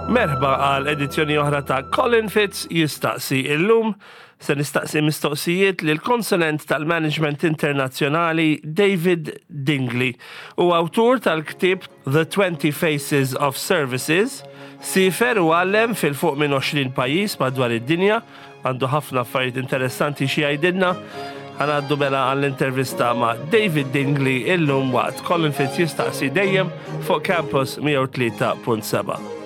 Merħba għal edizzjoni oħra ta' Colin Fitz jistaqsi illum se nistaqsi mistoqsijiet lil konsulent tal-Management Internazzjonali David Dingley u awtur tal-ktieb The 20 Faces of Services, siefer u għallem fil-fuq minn 20 pajjiż madwar id-dinja, għandu ħafna affarijiet interessanti xi jgħidilna. Ħa ngħaddu mela għall-intervista ma' David Dingley illum waqt Colin Fitz jistaqsi dejjem fuq Campus 103.7.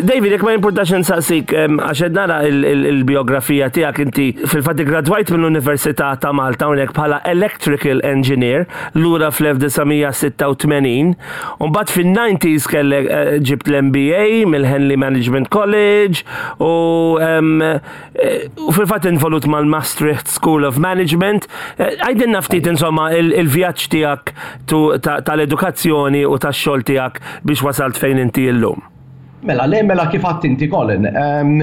David, jekk ma jimpurtax insaqsik, għax qed nara il-biografija tiegħek inti fil-fatt gradwajt mill-Università ta' Malta hawnhekk bħala Electrical Engineer lura fl-1986, u mbagħad fin-90s kellek eh, ġibt l-MBA mill-Henley Management College u Eh, u fil-fatt involut mal-Maastricht School of Management. Eh, għajdinna ftit insomma il-vjaġġ tiegħek tal-edukazzjoni u tax-xogħol tiegħek biex wasalt fejn inti llum. Mela, le, mela kif għadt inti Colin, ehm,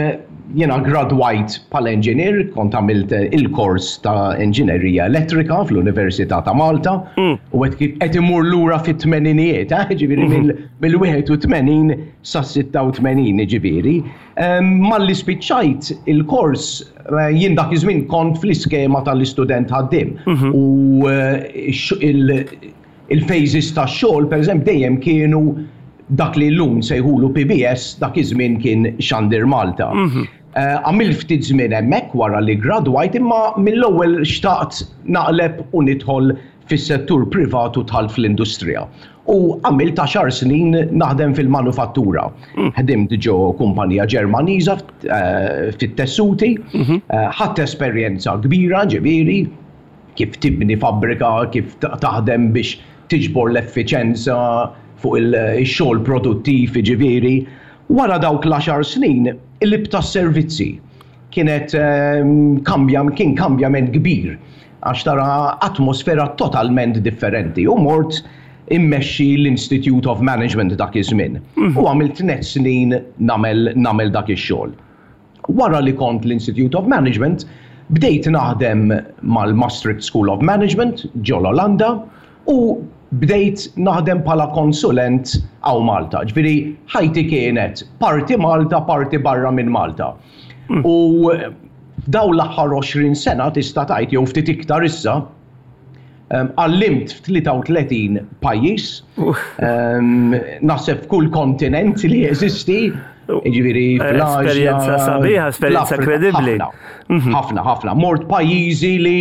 jena gradwajt pal engineer, kont għamilt il-kors ta' engineerija elettrika fl-Università ta' Malta, mm. u qed imur lura fit-tmeninijiet, eh, ġifieri mhm. mill-81 sa' 86 ġifieri. Malli spiċċajt il-kors, eh, jien dak iż-żmien kont fl-iskema tal-istudent ħaddiem. Mhm. U eh, il-phases tax-xogħol, pereżempju, dejjem kienu dak li llum sejħulu PBS, dak iż-żmien kien Xandir Malta. Mhm. Eh, għamilt ftit żmien hemmhekk wara li gradwajt imma mill-ewwel xtaqt naqleb u nidħol fis-settur privat u dħalt fl-industrija. U għamilt għaxar snin naħdem fil-manufattura. Mm. Ħdimt ġo kumpanija Ġermaniża eh, fit-tessuti, mhm. eh, ħadt esperjenza kbira ġifieri kif tibni fabbrika, kif taħdem biex tiġbor l-effiċenza fuq il-xogħol produttiv ġifieri. Wara dawk l-għaxar snin, il-lib tas-servizzi kienet ehm, kambja, kien kambjament kbir għax tara atmosfera totalment differenti u mort immexxi l-Institute of Management dak iż-żmien. Mhm. U għamilt tnet snin nagħmel nagħmel dak ix-xogħol. Wara li kont l-Institute of Management, bdejt naħdem mal-Maastricht School of Management ġol Olanda u bdejt naħdem bħala konsulent hawn Malta. Ġifieri ħajti kienet parti Malta, parti barra minn Malta. Mm. U daw l-aħħar 20 sena tista' tgħid jew ftit iktar issa, għallimt f'33 pajjiż, naħseb f'kull kontinent li jeżisti, ġifieri fl-Asja. Esperjenza sabiħa, esperjenza kredibbli. Mhm. Ħafna, ħafna. Mort pajjiżi li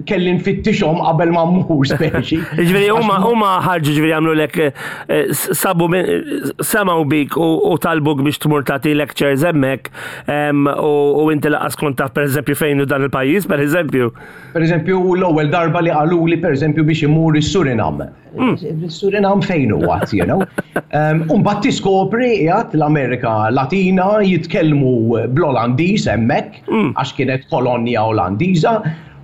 kelli nfittixhom qabel ma mmur speċi. Ġifieri huma huma ħarġu ġifieri għamlu lek eh, sabu semgħu bik u talbuk biex tmur tagħti lectures hemmhekk u inti laqas kont taf pereżempju fejn hu dan il-pajjiż pereżempju. Pereżempju l-ewwel darba li qaluli pereżempju biex imur is-Surinam. Mm. Surinam fejn hu għat, you know. Umbagħad tiskopri qiegħed l-Amerika Latina jitkellmu bl-Olandiż hemmhekk mm. għax kienet kolonja Olandiża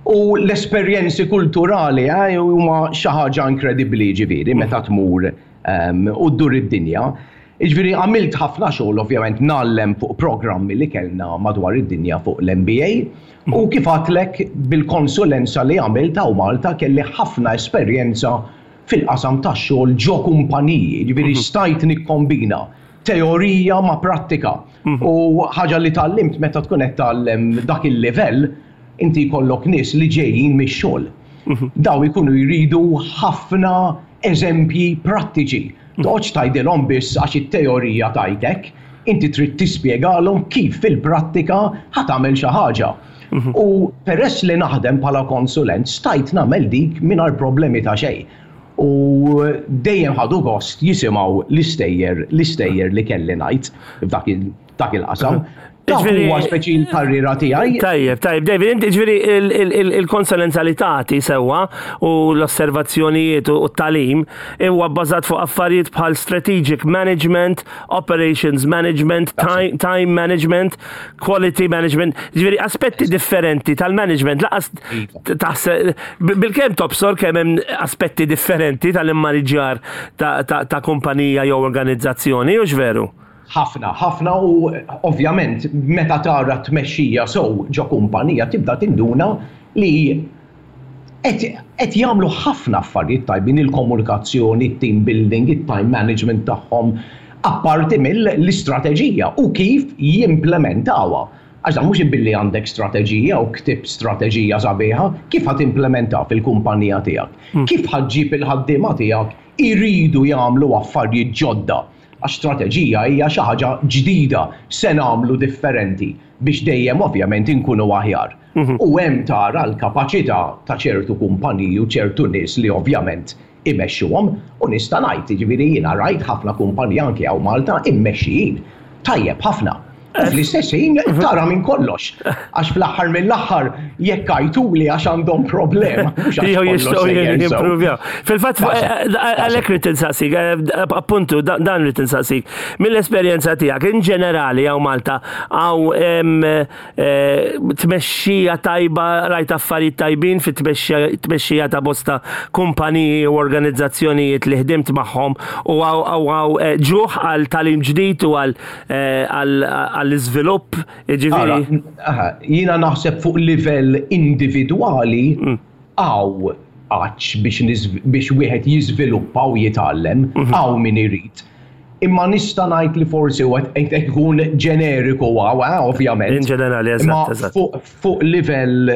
u l-esperjenzi kulturali eh, huma xi ħaġa inkredibbli ġifieri meta tmur u ddur id-dinja. Jiġifieri għamilt ħafna xogħol ovvjament ngħallem fuq programmi li kellna madwar id-dinja fuq l-MBA u kif għadtlek bil-konsulenza li għamilt hawn Malta kelli ħafna esperjenza fil-qasam tax-xogħol ġo kumpaniji, jiġifieri stajt nikkombina teorija ma' prattika. U ħaġa li tgħallimt meta tkun qed tgħallem dak il-livell, inti jkollok nies li ġejjin mix-xogħol. Dawn ikunu jridu ħafna eżempji prattiċi. Toqgħodx tgħidilhom biss għax it-teorija tgħid hekk, inti trid tispjegalhom kif fil-prattika ħa tagħmel xi ħaġa. Mhm. U peress li naħdem bħala konsulent stajt nagħmel dik mingħajr problemi ta' xejn. U dejjem ħadu gost jisimgħu l-istejjer l-istejjer li kelli ngħid f'dak il-qasam. Dak huwa speċi l-karriera tiegħi. Tajjeb, tajjeb, David, inti ġifieri il-konsulenza li tagħti sewwa u l-osservazzjonijiet u t-tagħlim huwa bbażat fuq affarijiet bħal strategic management, operations management, time management, quality management, ġifieri aspetti differenti tal-management laqas iva. taħseb bil-kemm tobsor kemm hemm aspetti differenti tal-immaniġġjar ta' kumpanija jew organizzazzjoni, hux veru? Ħafna, ħafna u ovvjament meta tara tmexxija sew ġo kumpanija tibda tinduna li qed jagħmlu ħafna affarijiet tajbin il-komunikazzjoni, it-team building, it-time management tagħhom, apparti mill-istrateġija u kif jimplementawha. Għax dan mhux billi għandek strateġija u ktibt strateġija sabiħa, kif ħa timplementaha fil-kumpanija tiegħek? Kif ħa ġġib il-ħaddiema tiegħek iridu jagħmlu affarijiet ġodda? Għax strateġija hija xi ħaġa ġdida, se nagħmlu differenti biex dejjem ovvjament inkunu aħjar. U hemm tara l-kapaċità ta' ċertu kumpaniji u ċertu nies li ovvjament imexxuhom u nista' ngħid, jiġifieri jiena rajt ħafna kumpaniji anke hawn Malta immexxijin tajjeb ħafna. U fl-istess ħin tara minn kollox. Għax fl-aħħar mill-aħħar jekk għajtuli għax għandhom problema. Jew jistgħu jimprovjaw. Fil-fatt għalhekk rrid insaqsik, eh, appuntu dan rrid insaqsik. Mill-esperjenza tiegħek in ġenerali hawn Malta hawn eh, tmexxija tajba rajt affarijiet tajbin fit-tmexxija ta' bosta kumpaniji u organizzazzjonijiet li ħdimt magħhom u hawn eh, ġuħ għal talim ġdid u għal Eh, għall-iżvilupp, jiġifieri. Jiena naħseb fuq livell individwali hawn għatx biex wieħed jiżviluppa u jitgħallem, hawn min irid. Imma nista' ngħid li forsi u qed ikun ġeneriku hawn, eh, ovvjament. In ġenerali, eżatt. Fuq livell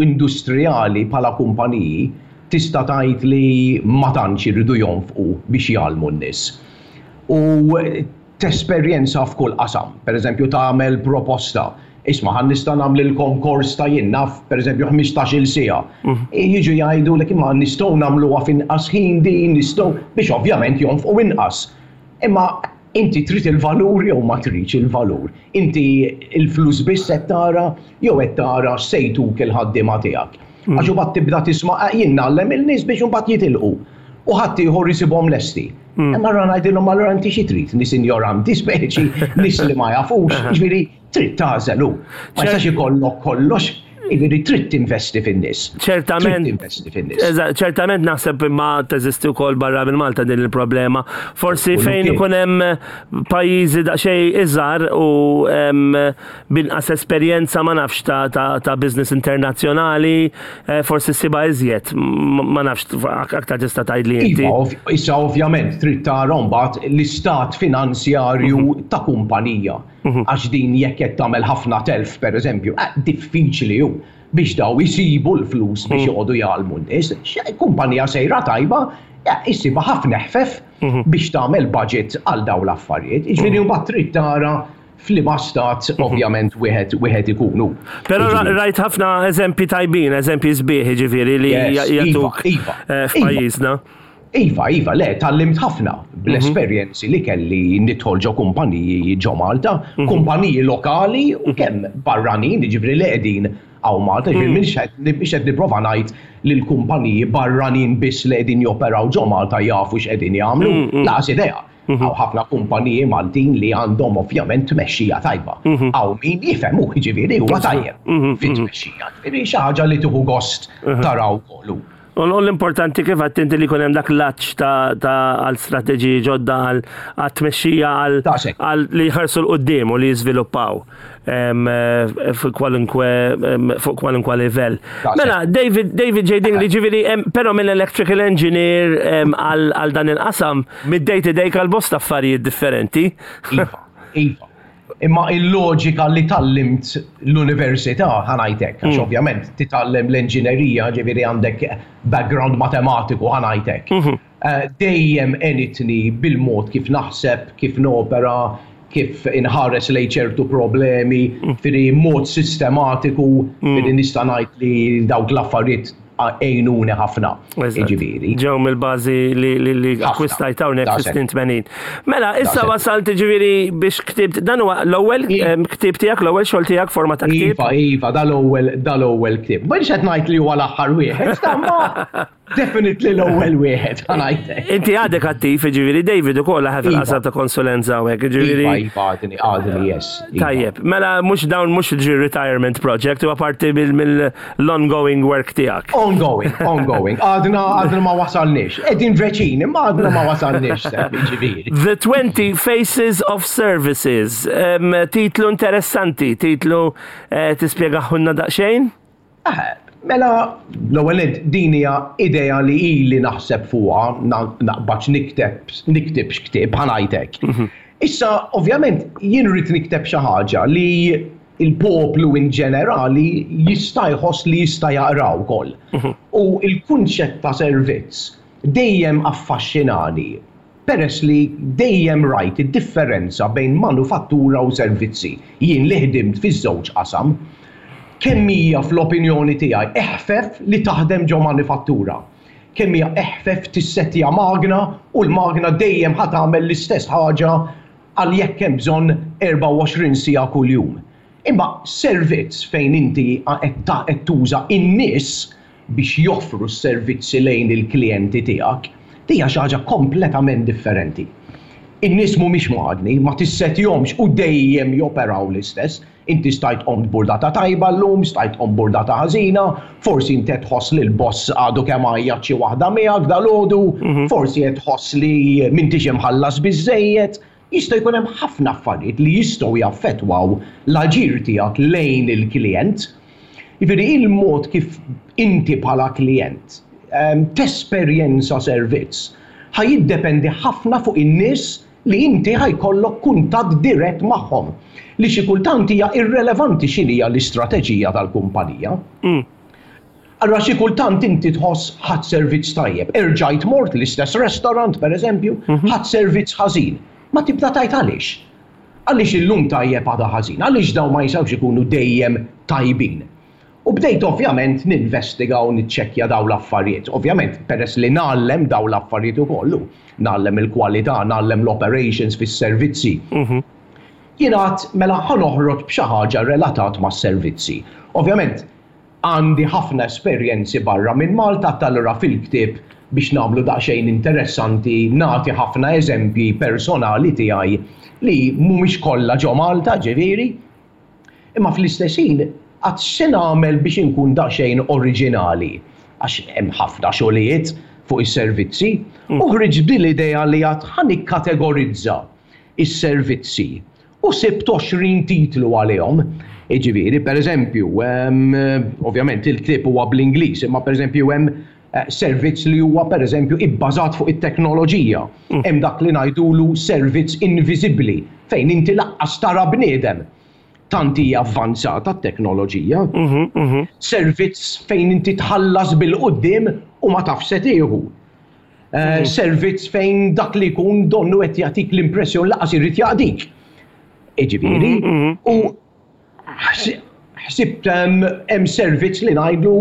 industrijali bħala kumpaniji tista' tgħid li ma tantx iridu jonfqu biex jgħallmu n-nies. U tesperjenza f'kull qasam. Pereżempju tagħmel proposta, isma' ħa nista' nagħmlilkom kors ta' jien naf pereżempju 15-il siegħa. Jiġu jgħidulek imma nistgħu nagħmluha f'inqas ħin din, nistgħu biex ovvjament jonfqu inqas. Imma inti trid il-valur jew ma tridx il-valur? Inti l-flus biss qed tara jew qed tara x'se jtuk il-ħaddiema tiegħek? Għax imbagħad tibda tisma' eh, jien ngħallem il-nies biex imbagħad jitilqu u ħaddieħor isibhom lesti. Imma allura ngħidilhom allura inti xi trid? Nies injoranti speċi, nies li ma jafux, jiġifieri trid tagħżel hu. Ma jistax ikollok kollox, jiġifieri trid tinvesti fin-nies. Ċertament. Trid tinvesti fin-nies. Eżatt, ċertament naħseb imma teżisti wkoll barra minn Malta din il-problema. Forsi fejn ikun hemm pajjiżi daqsxejn iżgħar u B'inqas esperjenza ma nafx ta', ta, ta business internazzjonali, eh, forsi ssibha iżjed, ma nafx aktar tista' tgħidli inti. Iva, issa ovvjament trid tara mbagħad l-istat finanzjarju mhm. ta' kumpanija. Mhm. Għax din jekk qed tagħmel ħafna telf pereżempju, eh, diffiċli hu biex daw isibu l-flus biex mhm. joqogħdu jgħallmu n-nies. Kumpanija sejra tajba, eh, issibha ħafna ħfef biex tagħmel budget għal daw l-affarijiet. Jiġifieri mbagħad trid tara f'liema stat ovvjament wieħed wieħed ikunu. Però rajt ħafna eżempji tajbin, eżempji sbieħ ġifieri li iva, jagħtuk iva, eh, iva. f'pajjiżna. Iva, iva, le, tgħallimt ħafna bl-esperjenzi li kelli nidħol ġo kumpaniji ġo Malta, mhm. kumpaniji lokali u mhm. kemm barranin, ġifieri li qegħdin hawn Malta, ġifieri mhm. mhix qed nipprova ngħid li l-kumpaniji barranin biss li qegħdin joperaw ġo Malta jafu x'qegħdin jagħmlu, laqas idea. Mhm. Hawn ħafna kumpaniji Maltin li għandhom ovvjament tmexxija tajba. Mhm. Hawn min jifhem hu jiġifieri huwa tajjeb mhm, fit-tmexxija. Ġifieri xi ħaġa li tieħu gost taraw kollu. U l-importanti kif għadt inti li jkun hemm dak l-għatx ta' għal strateġiji ġodda għal tmexxija għal li jħarsu l-qoddim u li jiżviluppaw. Eh, fuq kwalunkwe fuq kwalunkwe livell. Mela, David David J. Dingley ġifieri però minn electrical engineer għal dan il-qasam mid-day to day għal bosta affarijiet differenti. Iva, iva. Imma il-loġika li tgħallimt l-università ħa ngħidlek, għax mm. ovvjament titgħallem l-enġinerija, ġifieri għandek background matematiku ħa ngħidlek. Mhm. Eh, dejjem għenitni bil-mod kif naħseb, kif nopera, kif inħares lejn ċertu problemi, mm. firri mod sistematiku, mm. firri nista' ngħid li dawk l-affarijiet għejnuni ħafna. Jiġifieri. Ġew mill-bażi li akkwistajt hawnhekk fis-snin 80. Mela, issa wasalt jiġifieri biex ktibt, dan huwa l-ewwel ktieb tiegħek, l-ewwel xogħol tiegħek forma ta' ktieb. Iva, iva, dal-ewwel dal-ewwel ktieb. Mhux qed ngħid li huwa l-aħħar wieħed, ma Definitely l-ewwel wieħed ħa ngħidlek. Inti għadek attiv, jiġifieri David ukoll ħa fil-qasam ta' konsulenza hawnhekk, jiġifieri. Iva, iva, għadni, għadni, yes. Iva. Tajjeb, mela mhux dawn mhux ġi retirement project, huwa parti mill-ongoing work tiegħek. Ongoing, ongoing. Għadna, għadna ma wasalniex. Qegħdin veċin, imma għadna ma wasalniex, jiġifieri. The 20 Faces of Services. Titlu interessanti, titlu eh, tispjegaħunna daqsxejn? Mela, l-ewwel nett din hija idea li ili naħseb fuqha, naqbadx nikteb, niktibx ktieb, ħa ngħid hekk. Mhm. Issa, ovvjament, jien rrid nikteb xi ħaġa li il-poplu in ġenerali jista' jħoss li jista' jaqra wkoll. Mhm. U il-kunċett ta' servizz dejjem affaxxinani Peress li dejjem rajt id-differenza bejn manufattura u servizzi, jien li ħdimt fiż-żewġ qasam, kemm hija fl-opinjoni tiegħi eħfef li taħdem ġo manifattura. Kemm hija eħfef tissettja magna u l-magna dejjem ħa tagħmel l-istess ħaġa għal jekk hemm bżonn 24 siegħa kuljum. Imma servizz fejn inti qed tuża n-nies biex joffru s-servizzi lejn il-klijenti tiegħek, din hija xi ħaġa kompletament differenti. In-nies mhumiex magni, ma tissetjhomx u dejjem joperaw l-istess. Inti stajt qomt burdata tajba llum, stajt tqum burdata ħażina, forsi inti qed tħoss li l-boss għadu kemm għajjat xi waħda miegħek dalgħodu, forsi qed tħoss li m'intix imħallas biżżejjed. Jista' jkun hemm ħafna affarijiet li jistgħu jaffettwaw l-aġir tiegħek lejn il-klijent. Jiġifieri il-mod kif inti bħala klijent tesperjenza servizz ħa jiddependi ħafna fuq in-nies li inti ħa jkollok kuntatt dirett magħhom, li xi kultant hija irrelevanti x'inhija l-istrateġija tal-kumpanija. Allura xi kultant inti tħoss ħadt servizz tajjeb, erġajt mort l-istess restaurant pereżempju, ħadt servizz ħażin. Ma tibda tgħid għaliex. Għaliex illum tajjeb għada ħażin? Għaliex dawn ma jistgħux ikunu dejjem tajbin? U bdejt ovvjament ninvestiga u niċċekkja dawn l-affarijiet. Ovvjament peress li ngħallem dawn l-affarijiet ukoll, ngħallem il-kwalità, ngħallem l-operations fis-servizzi. Jien għedt mela ħa noħroġ b'xi ħaġa relatat mas-servizzi. Ovvjament Għandi ħafna esperjenzi barra minn Malta allura fil-ktieb biex nagħmlu daqsxejn interessanti nagħti ħafna eżempji personali tiegħi li mhumiex kollha ġo Malta ġifieri. Imma fl-istess ħin għad x'se nagħmel biex inkun daqsxejn oriġinali għax hemm ħafna xogħlijiet fuq is-servizzi u ħriġt b'din l-idea li għad ħa nikkategorizza s-servizzi U sibt 20 titlu għalihom. Jiġifieri, pereżempju, ovvjament il-ktieb huwa bl-Ingliż, imma pereżempju hemm servizz li huwa pereżempju ibbażat fuq it-teknoloġija. Hemm dak li ngħidulu servizz inviżibbli, fejn inti laqqas tara bniedem. Tant hija avvanzata t-teknoloġija. Servizz fejn inti tħallas bil-quddiem u ma tafx se tieħu. Servizz fejn dak li jkun donnu qed jagħtik l-impressjoni laqas irid jaqdik. Jiġifieri, u ħsibt hemm servizz li ngħidlu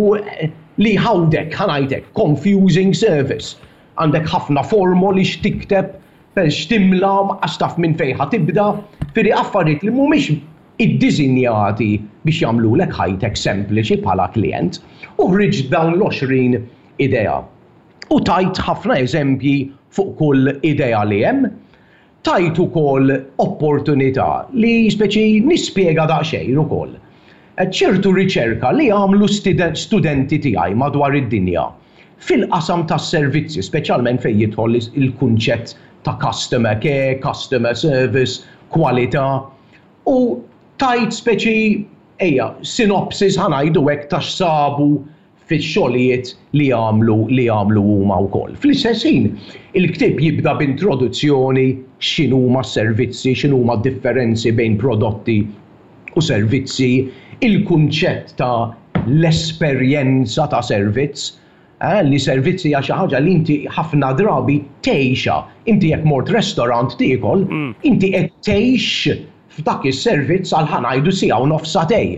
li jħawdek, ħa ngħidlek, confusing service. Għandek ħafna formoli x'tikteb, x'timla, qas taf minn fejn ħa tibda, fieri affarijiet li mhumiex iddisinjati biex jagħmlulek ħajtek sempliċi bħala klijent. U ħriġt dawn l-20 idea. U tajt ħafna eżempji fuq kull idea li hemm. Tajt ukoll opportunità li speċi nispjega daqsxejn ukoll ċertu riċerka li għamlu studenti tiegħi madwar id-dinja fil-qasam tas-servizzi, speċjalment fejn jidħol il-kunċett ta' customer care, customer service, kwalità. U tajt speċi, ejja, synopsis ħa ngħidu hekk ta' x'sabu fix-xogħlijiet li għamlu li għamlu huma wkoll. Fl-istess ħin, il-ktieb jibda b'introduzzjoni x'inhuma s-servizzi, x'inhuma d-differenzi bejn prodotti u servizzi, il-kunċett ta' l-esperjenza ta' servizz, eh, li servizz hija xi ħaġa li inti ħafna drabi tgħixha. Inti jekk mort restaurant tiekol, inti qed tgħix f'dak is-servizz għal ħa ngħidu siegħa u nofs sagħtejn.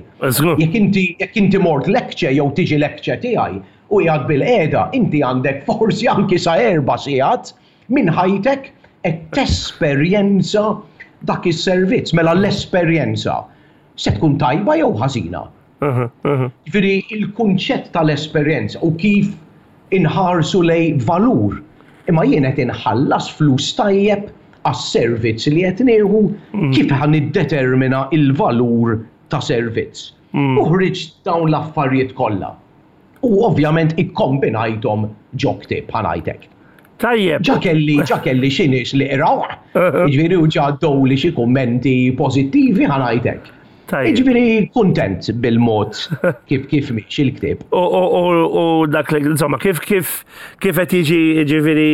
Jekk inti jekk inti mort lecture jew tiġi lecture tiegħi, u qiegħed bilqiegħda, inti għandek forsi anki sa erba' sigħat minn ħajtek qed tesperjenza dak is-servizz. Mela l-esperjenza se tkun tajba jew ħażina? Ġifieri il-kunċett tal-esperjenza u kif inħarsu lejn valur. Imma jien qed inħallas flus tajjeb għas-servizz li qed nieħu, kif ħa niddetermina il-valur ta' servizz? U ħriġt dawn l-affarijiet kollha. U ovvjament ikkombinajthom ġo ktieb, ħa ngħidlek. Tajjeb. Ġa kelli, ġa kelli xi nies li qrawh, jiġifieri u ġa għaddewli xi kummenti pożittivi, ħa ngħidlek. Jiġifieri kuntent bil-mod kif kif miexi l-ktieb. U dak li, insomma, kif kif kif qed jiġi jiġifieri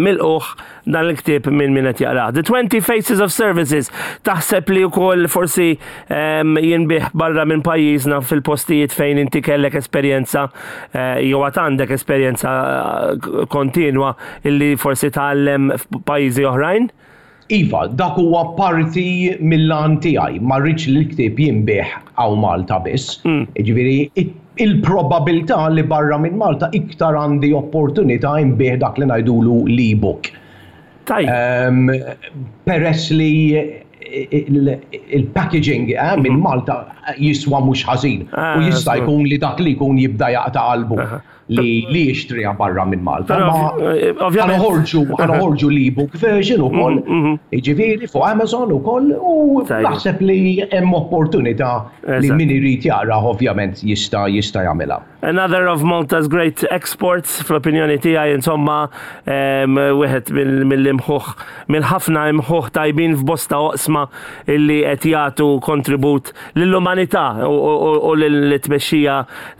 milqugħ dan il-ktieb minn min qed jaqrah. The 20 Faces of Services, taħseb li wkoll forsi jinbih barra minn pajjiżna fil-postijiet fejn inti kellek esperjenza eh, jew għad għandek esperjenza eh, kontinwa illi forsi tgħallem f'pajjiżi oħrajn? Iva, dak huwa parti mill-għan tiegħi. Ma rridx li l-ktieb jinbiegħ hawn Malta biss. Jiġifieri il-probabilità li barra minn Malta iktar għandi opportunità nbigħ dak li ngħidulu l-e-book. Peress li il-packaging eh, minn Malta jiswa mhux ħażin u jista' jkun li dak li jkun jibda jaqta' qalbu li li jixtriha barra minn Malta. Ma eh, ħanoħorġu ħanoħorġu l-ebook version ukoll, mm, mm-hmm. jiġifieri fuq Amazon ukoll u naħseb li hemm opportunità li min irid jaqra ovvjament jista' jista' jagħmilha. Another of Malta's great exports fl-opinjoni tiegħi insomma wieħed mill-imħuħ mill-ħafna imħuħ tajbin f'bosta oqsma illi qed jagħtu kontribut lill-umanità u lill-tmexxija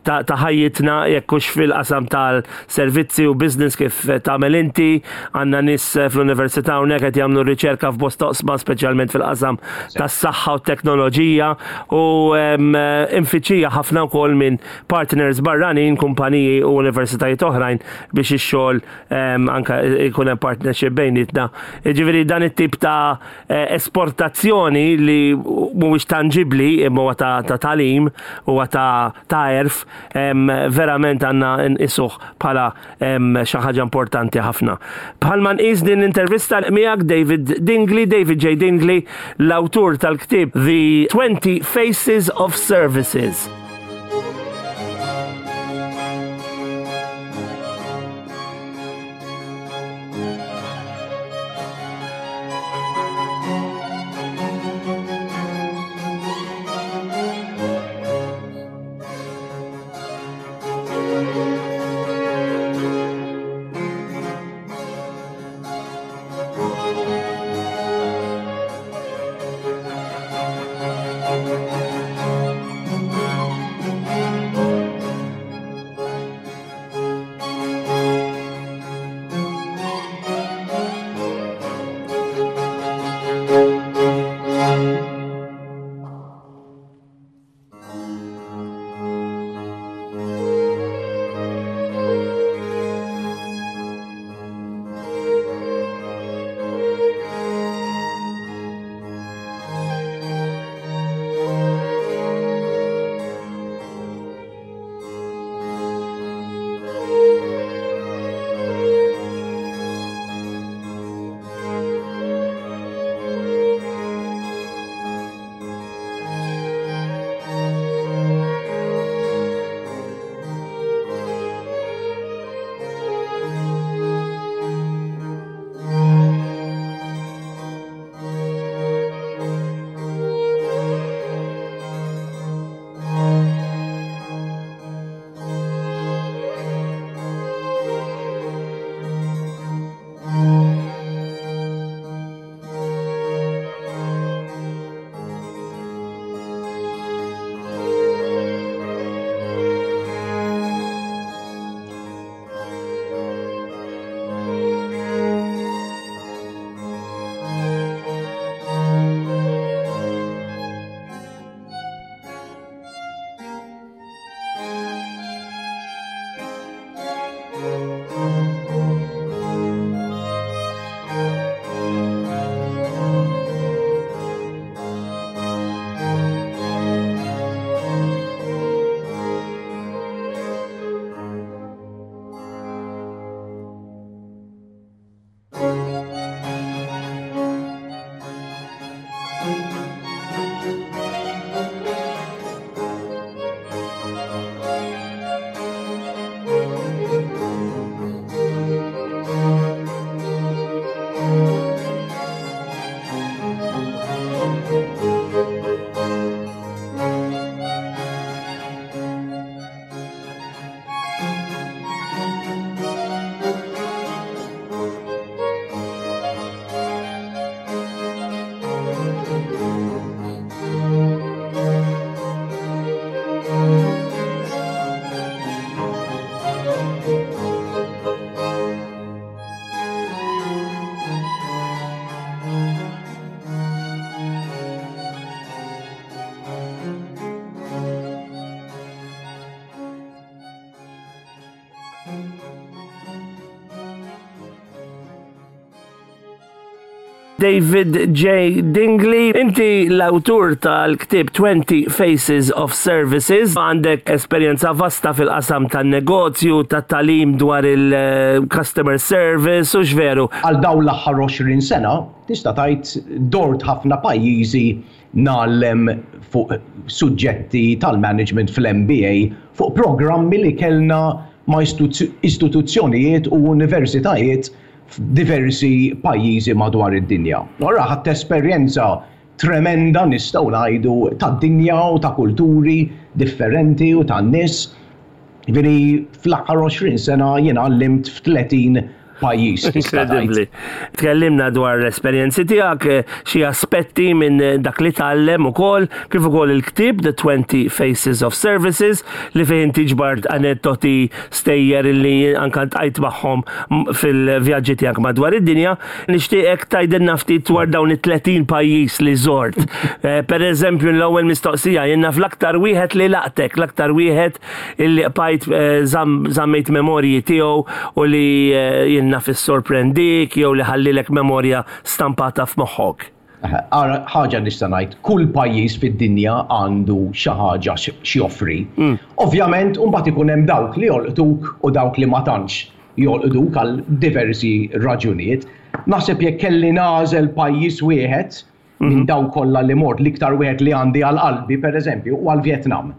ta' ħajjitna jekk hux fil-qasam tal-servizzi u business kif tagħmel inti, għandna nies fl-università hawnhekk qed jagħmlu riċerka f'bosta oqsma speċjalment fil-qasam tas-saħħa u t-teknoloġija u imfittxija ħafna wkoll minn partners barranin, kumpaniji u universitajiet oħrajn biex ix-xogħol anke jkun hemm partnership bejnietna. Jiġifieri dan it-tip ta' eh, esportazzjoni li mhuwiex tanġibbli imma huwa ta' tagħlim huwa ta' għerf verament għandna nqisuh bħala xi ħaġa importanti ħafna. Bħalma nqis din l-intervista miegħek David Dingli, David J. Dingli, l-awtur tal-ktieb The 20 Faces of Services. David J. Dingley, inti l-awtur tal-ktieb 20 Faces of Services, għandek esperjenza vasta fil-qasam tan-negozju, tat-tagħlim dwar il-customer service, hux veru? Għal dawn l-aħħar 20 sena, tista' tgħid dort ħafna pajjiżi ngħallem fuq suġġetti tal-management fl-MBA fuq programmi li kellna ma' istituzzjonijiet u universitajiet f'diversi pajjiżi madwar id-dinja. Allura ħadt esperjenza tremenda nistgħu ngħidu tad-dinja u ta' kulturi differenti u tan-nies. Jiġifieri fl-aħħar 20 sena jien għallimt f'30 pajjiż tista' tgħid. Inkredibbli. Tkellimna dwar l-esperjenzi tiegħek, xi aspetti minn dak li tgħallem ukoll, kif ukoll il-ktieb The 20 Faces of Services li fih inti ġbart aneddoti stejjer li anke ltqajt magħhom fil-vjaġġi tiegħek madwar id-dinja. Nixtieqek tgħidilna ftit dwar dawn it-30 pajjiż li żort. Eh, per eżempju, l-ewwel mistoqsija jien naf l-aktar wieħed li laqtek, l-aktar wieħed illi qbajt eh, żammejt memorji tiegħu u li eh, jien naf issorprendik jew li ħallilek memorja stampata f'moħħok. Ara, ħaġa nista' ngħid, kull pajjiż fid-dinja għandu xi ħaġa x'joffri. Mm. Ovvjament, imbagħad ikun hemm dawk li jolqtuk u dawk li ma tantx jolqtuk għal diversi raġunijiet. Naħseb jekk kelli nagħżel pajjiż wieħed minn mhm. dawk kollha li mort, l-iktar wieħed li għandi għal qalbi, pereżempju, huwa l-Vjetnam.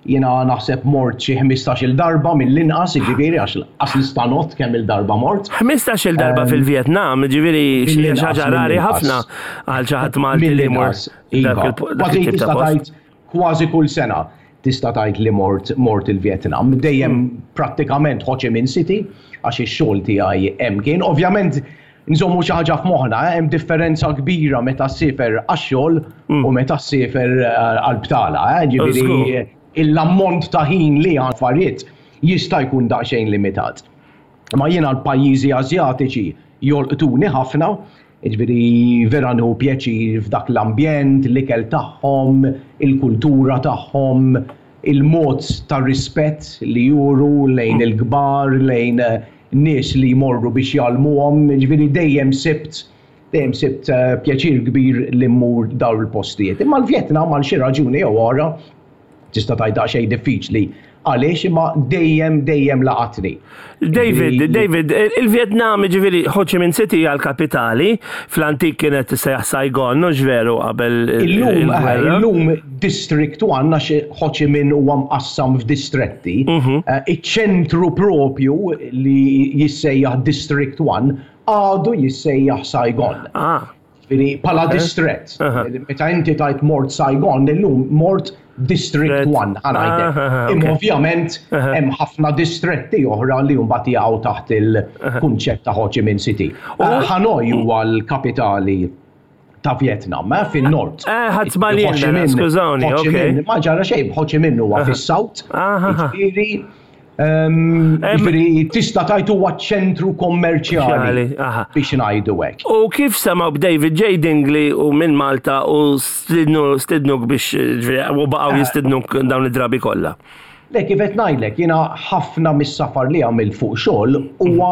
Jiena naħseb mort xi 15-il darba mill-inqas, jiġifieri għax lanqas nista' ngħodd kemm-il darba mort. 15-il darba fil-Vjetnam, jiġifieri xi ħaġa rari ħafna għal xi ħadd Malti li jmur. Iva, kważi tista' tgħid kważi kull sena tista' tgħid li mort mort il-Vjetnam. Dejjem prattikament Ho Chi Minh City għax ix-xogħol tiegħi hemm kien. Ovvjament Nżommu xi ħaġa f'moħħna, eh, hemm differenza kbira meta ssiefer għax-xogħol mm. u meta ssiefer eh, għall-btala, eh, ġifieri l-ammont ta' ħin li għand affarijiet jista' jkun daqsxejn limitat. Ma jiena l-pajjiżi Asjatiċi jolqtuni ħafna, ġifieri vera nieħu pjaċir f'dak l-ambjent, l-ikel tagħhom, il-kultura tagħhom, il-mod ta' rispett li juru lejn il-kbar, lejn nies li jmorru biex jgħallmuhom, jiġifieri dejjem sibt dejjem sibt eh, pjaċir kbir li mmur dawn il-postijiet. Imma l-Vjetnam għal xi raġuni jew oħra tista' tgħid daqsxejn diffiċli għaliex imma dejjem dejjem laqatni. David, David, il-Vietnam ġifieri Ho Chi Minh City għal kapitali, fl-antik kienet sejjaħ Saigon, mhux veru qabel illum eh, illum District 1 għax Ho Chi Minh huwa mqassam f'distretti. Mhm. Eh, iċ-ċentru propju li jissejjaħ District 1 għadu jissejjaħ Saigon. Ah. Ġifieri bħala distrett. Meta inti tajt mort Saigon, illum mort District 1 ħa ngħidlek. Imma ovvjament hemm ħafna distretti oħra li mbagħad jaqgħu taħt il-kunċett ta' Ho Chi Minh City. Hanoi huwa l-kapitali ta' Vietnam, eh, fin-nord. Eh, ħadd żbaljien, skużawni, ok. Ma ġara xejn, Ho Chi Minh huwa fis-south. Ġifieri Ehm, ġifieri tista' tgħid huwa ċentru kommerċjali biex ngħidu hekk. U kif semgħu b'David J. Dingley u minn Malta u stidnuk biex u baqgħu eh. jistidnuk dawn id-drabi kollha? Le kif qed ngħidlek, jiena ħafna mis-safar li għamilt fuq xogħol huwa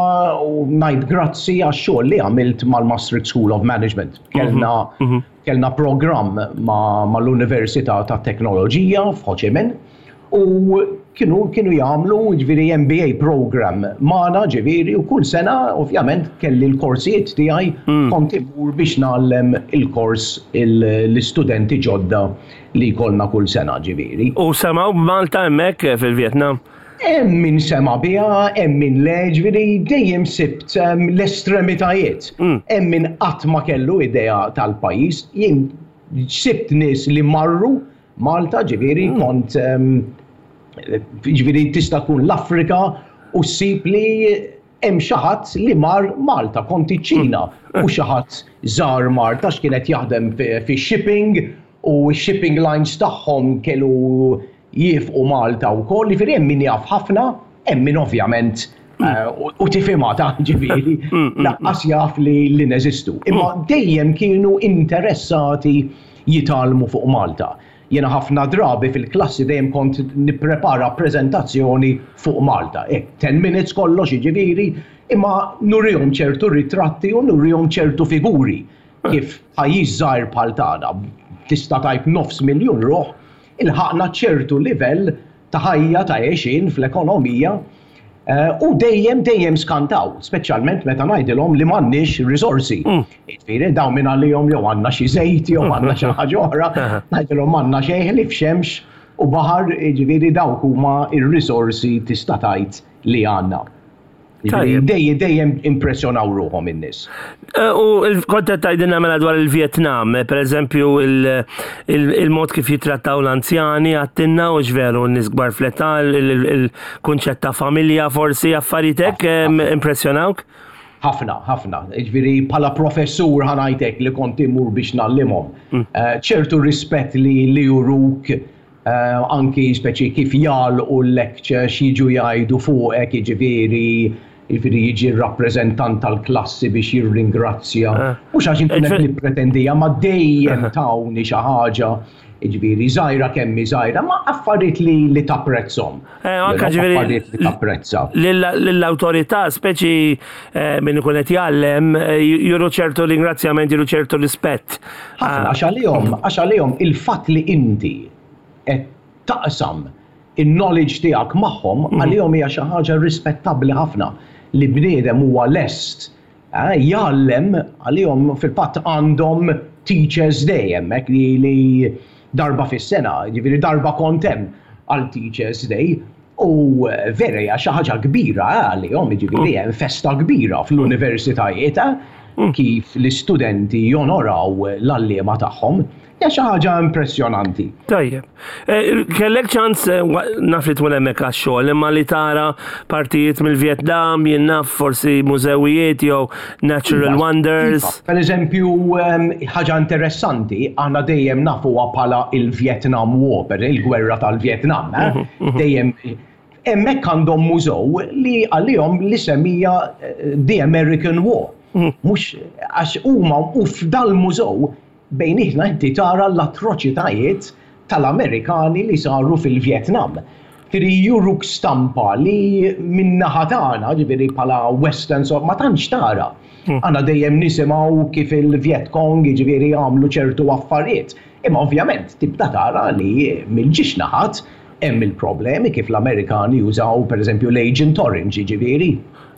ngħid grazzi għax-xogħol li għamilt mal-Maastricht School of Management. Kellna mhm, mhm. Kellna programm mal-Università tat-Teknoloġija f'Ho Chi Minh u kienu kienu jagħmlu ġifieri MBA program magħna ġifieri u kull sena ovvjament kelli l-korsijiet tiegħi mm. kont imur biex ngħallem il-kors l-istudenti ġodda li jkollna kull sena ġifieri. U semgħu b'Malta hemmhekk fil-Vjetnam? Hemm min sema' biha, hemm min le, ġifieri dejjem sibt ehm, l-estremitajiet. Mm. Hemm min qatt ma kellu idea tal-pajjiż. Jien sibt nies li marru Malta, ġifieri mm. kont ehm, ġifieri tista' tkun l-Afrika u ssib li hemm xi ħadd li mar Malta, kont iċ-Ċina mm. u xi ħadd żar Malta x'kienet jaħdem fi shipping u shipping lines tagħhom kellu jiefqu Malta wkoll, jiġifieri hemm min jaf ħafna, hemm min ovvjament eh, u tifhimha ta' ġifieri, mm, mm, mm. laqqas jaf li li neżistu. Imma dejjem kienu interessati jitgħallmu fuq Malta. Jiena ħafna drabi fil-klassi dejjem kont nipprepara preżentazzjoni fuq Malta. 10 minutes kollox jiġifieri, imma nurihom ċertu ritratti u nurihom ċertu figuri. Kif pajjiż żgħir bħal tagħna, tista' tgħid nofs miljun ruħ, ilħaqna ċertu livell ta' ħajja ta' għexien fl-ekonomija u dejjem dejjem skantaw, speċjalment meta ngħidilhom li m'għandniex riżorsi. Jiġifieri dawn minn għalihom jew għandna xi żejt jew għandna xi ħaġa oħra, ngħidilhom m'għandna xejn ħlief xemx u baħar, jiġifieri dawk huma r-riżorsi tista' tgħid li għandna. Dejjem dejjem impressjonaw ruħhom in-nies. Eh, u kont qed tgħidilna mela dwar il-Vjetnam, eh, pereżempju il-mod kif jitrattaw l-anzjani għattinna u veru n-nies kbar fl-età, il-kunċett ta' familja forsi affarijiet hekk eh, impressjonawk? Ħafna, ħafna. Ġifieri bħala professur ħanajtek li kont imur biex nallimhom. Ċertu rispett li li juruk Anki speċi kif jagħlqu l-lecture x'jiġu jgħidu fuqek jiġifieri jiġifieri jiġi r-rappreżentant tal-klassi biex jirringrazzja. Mhux għax inkun qed nippretendija ma dejjem tawni xi ħaġa jiġifieri żgħira kemm hi żgħira ma affarijiet li li tapprezzhom. Anke ġifieri affarijiet li tapprezza. Lill-awtorità speċi min ikun qed jgħallem juru ċertu ringrazzjament, juru ċertu rispett. Ħafna għax għalihom, għax għalihom il-fatt li inti qed taqsam in-knowledge tiegħek magħhom għalihom hija xi ħaġa rispettabbli ħafna li bniedem huwa lest eh, jgħallem għalihom fil-fatt għandhom Teachers Day hemmhekk li, li darba fis-sena, jiġifieri darba kont hemm għal Teachers Day u vera hija xi ħaġa kbira eh, għalihom, jiġifieri hemm festa kbira fl-universitajiet eh, kif l-istudenti jonoraw l-għalliema tagħhom. Hija xi ħaġa impressjonanti. Tajjeb. Eh, kellek ċans eh, naf li tkun hemmhekk għax-xogħol, imma li tara partijiet mill-Vjetnam, jien naf forsi mużewijiet jew natural iva, wonders. Iva. Per eżempju, ehm, ħaġa interessanti, aħna dejjem nafuha bħala il-Vietnam War, per il-gwerra tal-Vietnam, eh? Dejjem hemmhekk għandhom mużew li għalihom li semija The American War. Mhux għax huma u f'dal-mużew Bejnietna inti tara l-atroċitajiet tal-Amerikani li saru fil-Vjetnam. Ġifieri juruk stampa li min-naħa tagħna, ġifieri bħala Western so ma tantx tara. Aħna dejjem nisimgħu kif il-Viet Cong jiġifieri għamlu ċertu affarijiet. Imma ovvjament tibda tara li mill-ġiex naħat hemm il-problemi kif l-Amerikani jużaw pereżempju l-Agent Orange jiġifieri.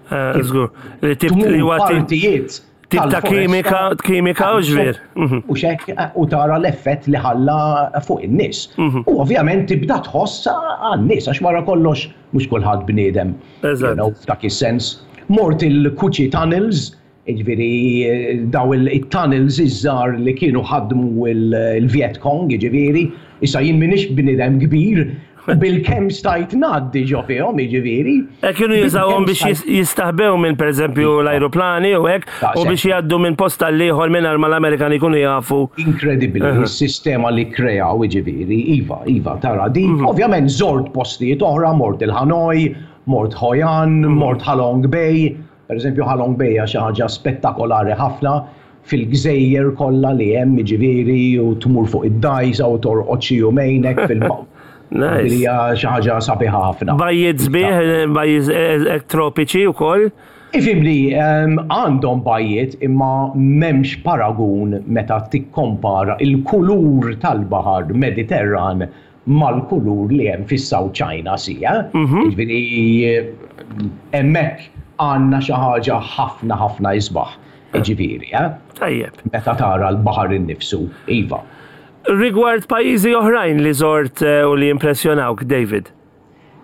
Żgur. Li tip li huwa partijiet Tip ta' kimika, kimika u ġvir. Mhm. U xek, u tara l-effett li ħalla fuq in-nies. Mhm. U ovvjament tibda tħoss għan-nies, għax wara kollox mhux kulħadd bniedem. F'dak is-sens. Mort il-Kuċi Tunnels, ġifieri daw il-tunnels iż-żgħar li kienu ħadmu il-Viet Cong, ġifieri, issa jien m'iniex bniedem kbir, Bil-kemm stajt ngħaddi ġo fihom, jiġifieri. E kienu jużawhom biex jistaħbew minn pereżempju iva. l-ajruplani u hekk u biex jgħaddu minn post għal ieħor mingħajr ma l-Amerikani jkunu jafu. Inkredibbli, is-sistema li kreaw jiġifieri, iva, iva, tara dik. Mhm. Ovvjament żort postijiet oħra, mort il-Hanoi, mort Hoi An, mhm. mort Halong Bay. Per eżempju Halong Bay hija xi ħaġa spettakolari ħafna fil-gżejjer kollha li hemm jiġifieri u tmur fuq id-dgħajsa u torqod xi jumejn hekk fil Nice. Hija xi ħaġa sabiħa ħafna. Bajjiet sbieħ, bajjiet eh, tropiċi wkoll. Ifimni, ehm, għandhom bajjiet imma m'hemmx paragun meta tikkompara il-kulur tal-baħar Mediterran mal-kulur li hemm fis-South China Sea. Mhm. Jiġifieri hemmhekk għandna xi ħaġa ħafna ħafna isbaħ. Jiġifieri, eh? Tajjeb. Meta tara l-baħar innifsu, iva. Rigward pajjiżi oħrajn li żort eh, u li impressjonawk, David?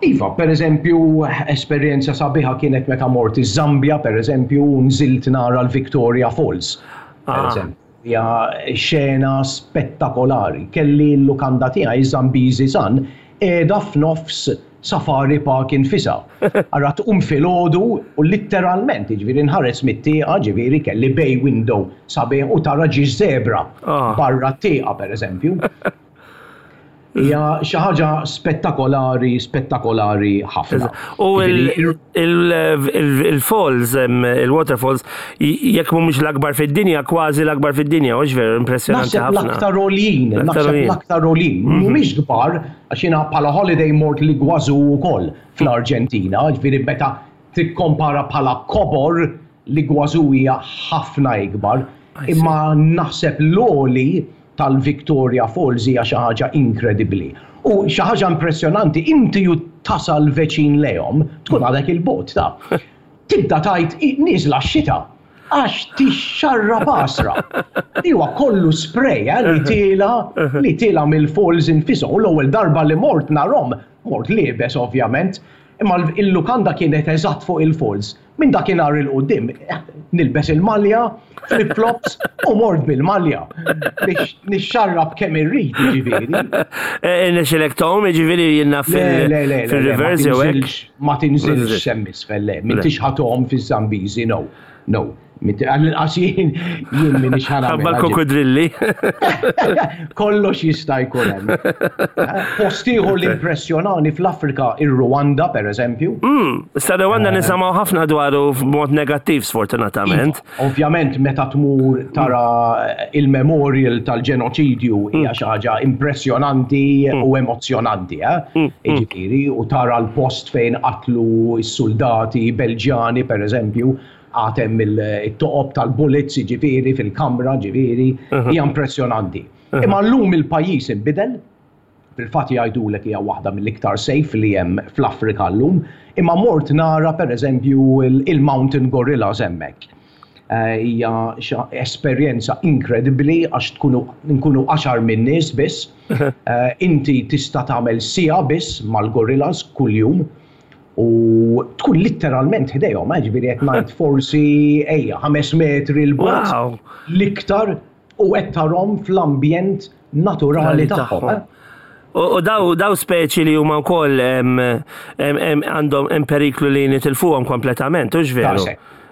Iva, per eżempju, esperjenza sabiħa kienet meta mort iż-Zambja, per eżempju, nżilt nara l-Victoria Falls. Per ah. eżempju. Hija xena spettakolari. Kelli l-lukanda tiegħi Zambezi Sun qiegħda f'nofs Safari Park infisha. Ara tqum filgħodu u litteralment, jiġifieri nħares mit-tieqa, ġifieri kelli bay window sabiħ u tara ġiex zebra barra t-tieqa pereżempju. Hija xi ħaġa spettakolari, spettakolari ħafna. U il-falls, il-waterfalls, jekk mhumiex l-akbar fid-dinja, kważi l-akbar fid-dinja, hux veru impressjonanti ħafna. L-aktar għoljin, naħseb l-aktar għoljin. Mhm. Mhumiex kbar, għax jiena bħala holiday mort li Iguazu wkoll fl-Arġentina, ġifieri meta tikkompara bħala kobor l-Iguazu hija ħafna ikbar. Imma naħseb l-għoli tal-Victoria Falls hija xi ħaġa inkredibbli. U xi ħaġa impressjonanti, inti u tasal veċin lejhom, tkun għadek 'il bogħod ta. Tibda tgħid nieżla x-xita għax tixxarrab għasra. Li huwa kollu spray eh, li tiela li tiela mill-falls infisom. U l-ewwel darba li mort narhom, mort liebes ovvjament, imma il-lukanda kienet eżatt fuq il-falls. Minn dakinhar 'il quddiem nilbes il-malja, flip-flops u mort bil-malja biex nixxarrab kemm irrid jiġifieri. Irnexxilek tgħum jiġifieri jien naf fil-rivers jew hekk? Ma tinżilx hemm isfel le, m'intix ħa tgħum fiż-Zambiżi no, no. Għall-inqas jien jien m'iniex ħa nagħmilha. Ħabba l-kukudrilli. Kollox jista' jkun hemm. Post ieħor li impressjonani fl-Afrika ir-Rwanda pereżempju. Mm, issa Rwanda eh. nisimgħu ħafna dwaru b'mod negattiv sfortunatament. Iva, ovvjament meta tmur tara il-memorial tal-ġenoċidju hija mm. xi ħaġa impressjonanti mm. u emozzjonanti, eh? Mm, Jiġifieri, u tara l-post fejn qatlu s-soldati Belġjani pereżempju Għad hemm it-toqob tal-bullets, jiġifieri, fil-kamra, ġifieri, hija impressjonanti. Imma llum il-pajjiż inbidel, fil-fatt jgħidulek hija waħda mill-iktar safe li hemm fl-Afrika llum, imma mort nara pereżempju il-mountain gorillas hemmhekk. Hija esperjenza inkredibbli għax tkunu nkunu għaxar min-nies biss. Inti tista' tagħmel siegħa biss mal-gorillas kuljum. U tkun litteralment ħdejhom, eh, ġifieri qed ngħid forsi ejja 5 metri 'l bogħod l-iktar u qed tarhom fl-ambjent naturali tagħhom. Eh. U daw, daw speċi li huma wkoll għandhom hemm periklu li nitilfuhom kompletament, hux veru?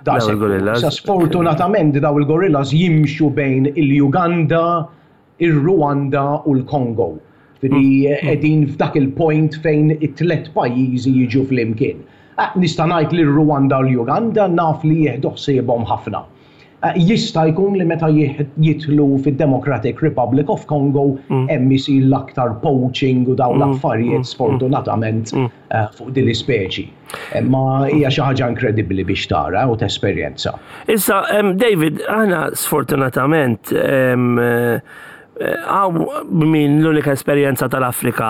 Daw il-gorillas. Sfortunatament daw il-gorillas jimxu bejn il-Uganda, ir-Rwanda u l-Kongo. Ġifieri mm. qegħdin f'dak il-point fejn it-tlet pajjiżi jiġu flimkien. Eh, nista' ngħid li r-Rwanda u l-Uganda naf li jieħdu ħsiebhom ħafna. Eh, jista' jkun li meta jidħlu fid-Democratic Republic of Congo mm. hemm isir l-aktar poaching u dawn mm. l-affarijiet sfortunatament eh, fuq din l-ispeċi. Imma hija xi ħaġa inkredibbli biex tara u tesperjenza. Issa, David, aħna sfortunatament għaw min l-unika esperjenza tal-Afrika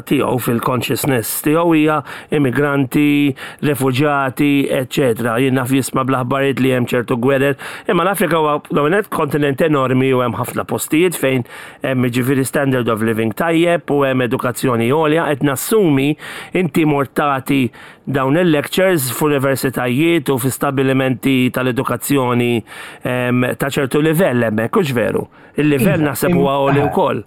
tiegħu fil-consciousness tiegħu hija immigranti, refuġjati, eċetera. Jien naf jisma' bl-aħbarijiet li hemm ċertu gwerer, imma l-Afrika huwa l kontinent enormi u hemm ħafna postijiet fejn Hemm jiġifieri standard of living tajjeb u hemm edukazzjoni għolja qed nassumi inti mort tagħti dawn il-lectures f'universitajiet u fi stabbilimenti tal-edukazzjoni ehm, ta' ċertu livell hemmhekk, hux veru? Il-livell iva, naħseb huwa għoli wkoll.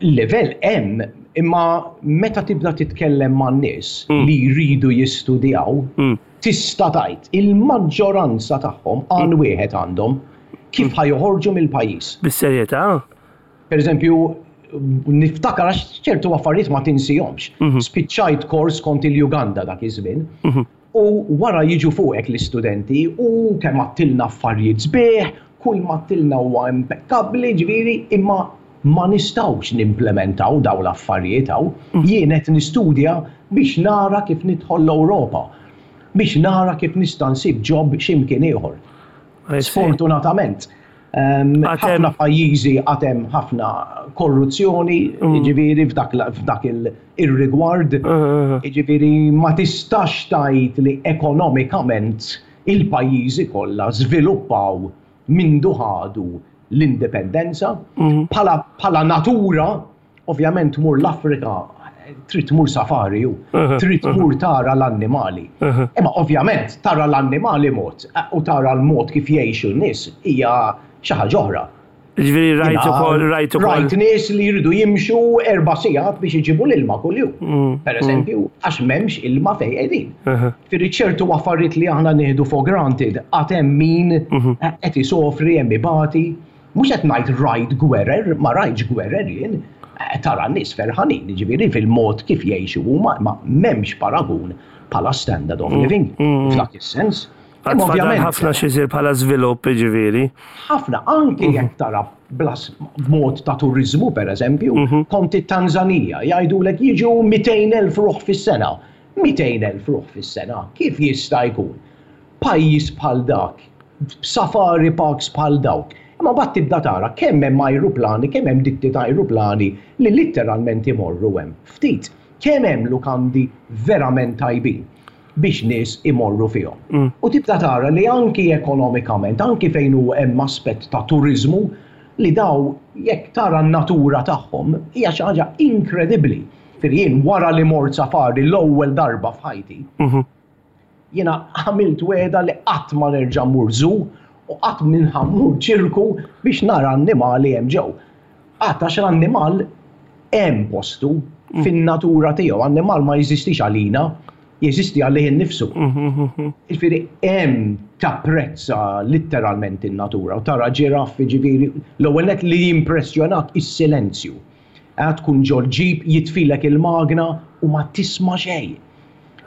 Livell hemm, imma meta tibda titkellem man nies mm. li jridu jistudjaw, mm. tista' tgħid il-maġġoranza tagħhom għan mm. wieħed għandhom kif ħa joħorġu mill-pajjiż. Bis-serjetà? Per eżempju, niftakar għax ċertu affarijiet ma tinsihomx. Mhm. Spiċċajt kors kont il-Uganda dak iż-żmien. Mhm. U wara jiġu fuqek l-istudenti u kemm għattilna affarijiet sbieħ, kull ma għattilna huwa impekkabbli, ġifieri, imma ma nistgħux nimplementaw dawn l-affarijiet hawn. Mhm. Jien qed nistudja biex nara kif nidħol l-Ewropa, biex nara kif nista' nsib job x'imkien ieħor. Sfortunatament, ħafna pajjiżi għad hemm ħafna korruzzjoni, mm. jiġifieri f'dak il-rigward, mm, mm, jiġifieri ma tistax tgħid li ekonomikament il-pajjiżi kollha żviluppaw mindu ħadu l-indipendenza bħala natura Ovvjament tmur l-Afrika, trid tmur safari u trid tmur tara l-annimali. Imma ovvjament tara l-annimali mod u tara l-mod kif jgħixu n-nies hija xi ħaġa oħra. Ġifieri rajt ukoll rajt ukoll. Rajt nies li jridu jimxu erba' sigħat biex iġibu l-ilma kuljum. Mm, per mm. eżempju, għax m'hemmx ilma fejn qegħdin. Ġifieri ċertu affarijiet li aħna nieħdu for granted għad hemm min mhm. qed isofri hemm ibati. Mhux qed ngħid rajt gwerer, ma rajtx gwerer jien, tara n-nies ferħanin, jiġifieri fil-mod kif jgħixu huma, imma m'hemmx paragun bħala standard of mm, living mm. f'dak is-sens. Għad fadal ħafna x'isir bħala żvilupp, jiġifieri. Ħafna, anki mhm. jekk tara blas mod ta' turiżmu pereżempju, mhm. kont it-Tanzanija jgħidulek jiġu 200,000 ruħ fis-sena. 200,000 ruħ fis-sena, kif jista' jkun? Pajjiż bħal dak, b'safari parks bħal dawk. Imma mbagħad tibda tara kemm hemm ajruplani, kemm hemm ditti ta' ajruplani li litteralment imorru hemm. Ftit. Kemm hemm lukandi verament tajbin biex nies imorru fihom. U tibda tara li anki ekonomikament, anki fejn hu hemm aspett ta' turiżmu, li daw jekk tara n-natura tagħhom hija xi ħaġa inkredibbli. Ġifieri jien wara li mort safari l-ewwel darba f'ħajti, jiena għamilt wegħda li qatt ma nerġa' mmur zoo u qatt minn ħa mmur ċirku biex nara annimali hemm ġew. Qatt għax l-annimal hemm postu fin-natura tiegħu, annimal ma jeżistix għalina, jeżisti għalih innifsu. Jiġifieri hemm tapprezza litteralment in-natura u tara ġiraffi ġifieri l-ewwel nett li jimpressjonak is-silenzju. Tkun ġol-ġip jitfilek il-magna u ma tisma' xejn.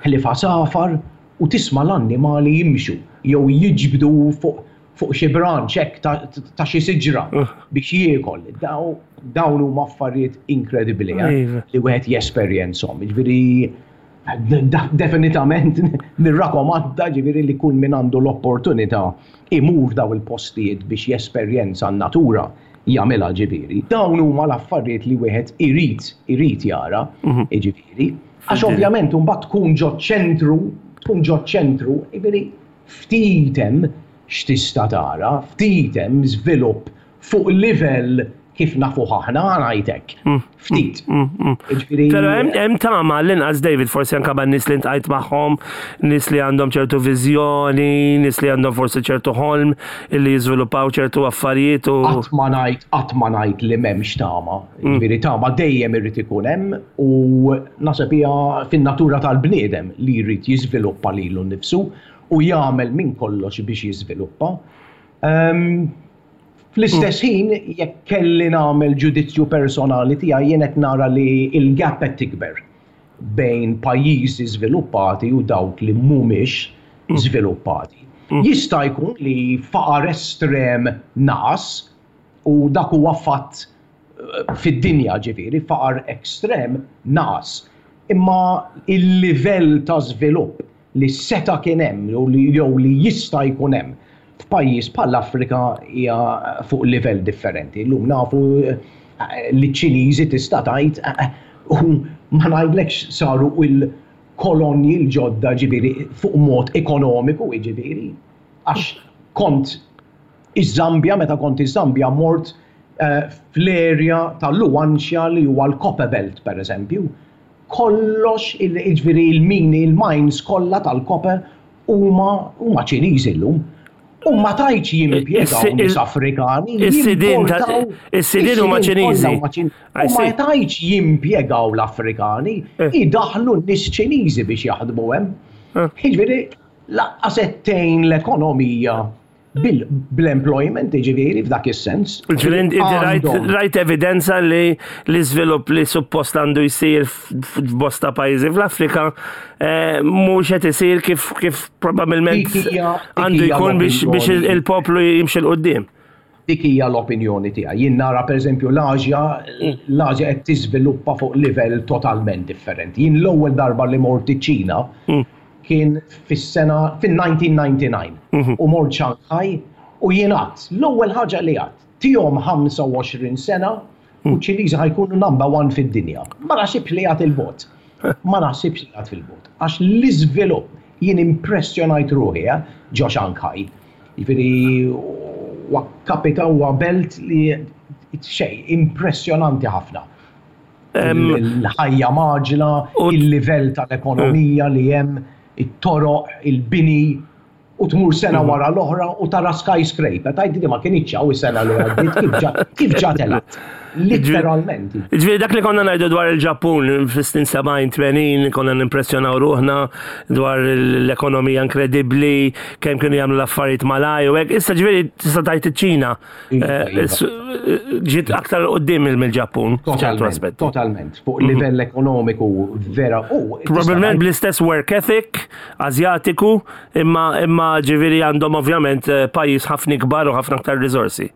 Ħlief għasafar u tisma' l-annimali jimxu jew jiġbdu fuq fuq xi branch hekk ta' xi siġra biex jiekol. Dawn huma affarijiet inkredibbli eh, li wieħed jesperjenzhom. Jiġifieri definitament nirrakomanda ġifieri li kull min għandu l-opportunità imur daw il-postijiet biex jesperjenza n-natura jagħmilha ġifieri. Dawn huma l-affarijiet li wieħed irid irid jara, mhm. ġifieri. Għax ovvjament imbagħad tkun ġo ċentru, tkun ġo ċentru, jiġifieri ftit hemm x'tista' tara, ftit hemm żvilupp fuq livell kif nafuh aħna, ngħid hekk. Mm. Ftit. Mm, mm, Ġifieri Però hemm tama l-inqas David forsi anke ma' nies li ntqajt magħhom, nies li għandhom ċertu viżjoni, nies li għandhom forsi ċertu ħolm illi jiżviluppaw ċertu affarijiet u. Qatt ma ngħid qatt ma ngħid li m'hemmx tama. Ġifieri tama dejjem irid ikun hemm u naħseb hija fin-natura tal-bniedem li jrid jiżviluppa lilu nnifsu u jagħmel minn kollox biex jiżviluppa. Ehm, fl-istess ħin, jekk kelli nagħmel ġudizzju personali tiegħi jien qed nara li l-gap qed tikber bejn pajjiżi żviluppati u dawk li mhumiex żviluppati. Jista' jkun li faqar estrem naqas u dak huwa fatt fid-dinja ġifieri, faqar ekstrem naqas. Imma il-livell ta' żvilupp li seta' kien hemm jew li jista' jkun hemm f'pajjiż bħall-Afrika hija fuq livell differenti. Illum nafu eh, li ċ-Ċiniżi tista' tgħid eh, u ma ngħidlekx saru il-kolonji l-ġodda ġifieri fuq mod ekonomiku ġifieri għax kont Iż-Żambja, meta kont iż-Żambja mort eh, fl-area ta' Luanshya li huwa l-Copper Belt pereżempju. Kollox, jiġifieri il-mini, il-mines kollha tal-copper huma huma Ċiniżi llum. U ma tgħidx jimpjegaw nies Afrikani. Is-sidien is-sidien huma Ċiniżi. U ma tgħidx jimpjegaw l-Afrikani, eh. idaħlu n-nies Ċiniżi biex jaħdmu hemm. Eh. Jiġifieri laqqas qed tgħin l-ekonomija bl-employment, ġifieri f'dak is-sens. Ġifieri inti rajt evidenza li l-iżvilupp li suppost għandu jsir f'bosta pajjiżi fl-Afrika eh, mhux qed isir kif kif probabbilment għandu jkun biex il-poplu jimxi 'l quddiem. Dik hija l-opinjoni tiegħi. Jien nara pereżempju l-Ażja, l-Ażja qed tiżviluppa fuq livell totalment differenti. Jien l-ewwel darba li mort iċ-Ċina mm. kien fis-sena fin-1999 mhm. u mort Shanghai u jien għadt l-ewwel ħaġa li għadt tihom 25 sena u mm. ċ-Ċiniżi ħa jkunu number one fid-dinja. Ma naħsibx li għad il-bot. Ma naħsibx li għad fil-bot. Għax l-iżvilupp jien impressjonajt ruħi eh, ġo Shanghai. Jiġifieri huwa kapita huwa belt li xejn impressjonanti ħafna. Il-ħajja maġla, il-livell tal-ekonomija li hemm, it-toroq, il-bini, u tmur sena mhm. wara l-oħra u tara skyscraper. Tajt di ma kienx hawn is-sena li għaddiet kif ġa telgħet. Literalment. Ġifieri dak li konna ngħidu dwar il-Ġappun fis-snin 70-80 konna nimpressjonaw ruħna dwar l-ekonomija inkredibbli, kemm kienu jagħmlu l-affarijiet malaj u hekk. Issa ġifieri tista' tgħid iċ-Ċina eh, iva, iva. Eh, ġiet aktar qudiem mill-Ġappun. Totalment, totalment. Fuq mhm. livell ekonomiku vera u. Probabilment bl-istess work ethic Azjatiku, imma imma ġifieri għandhom ovvjament eh, pajjiż ħafna ikbar u ħafna aktar riżorsi.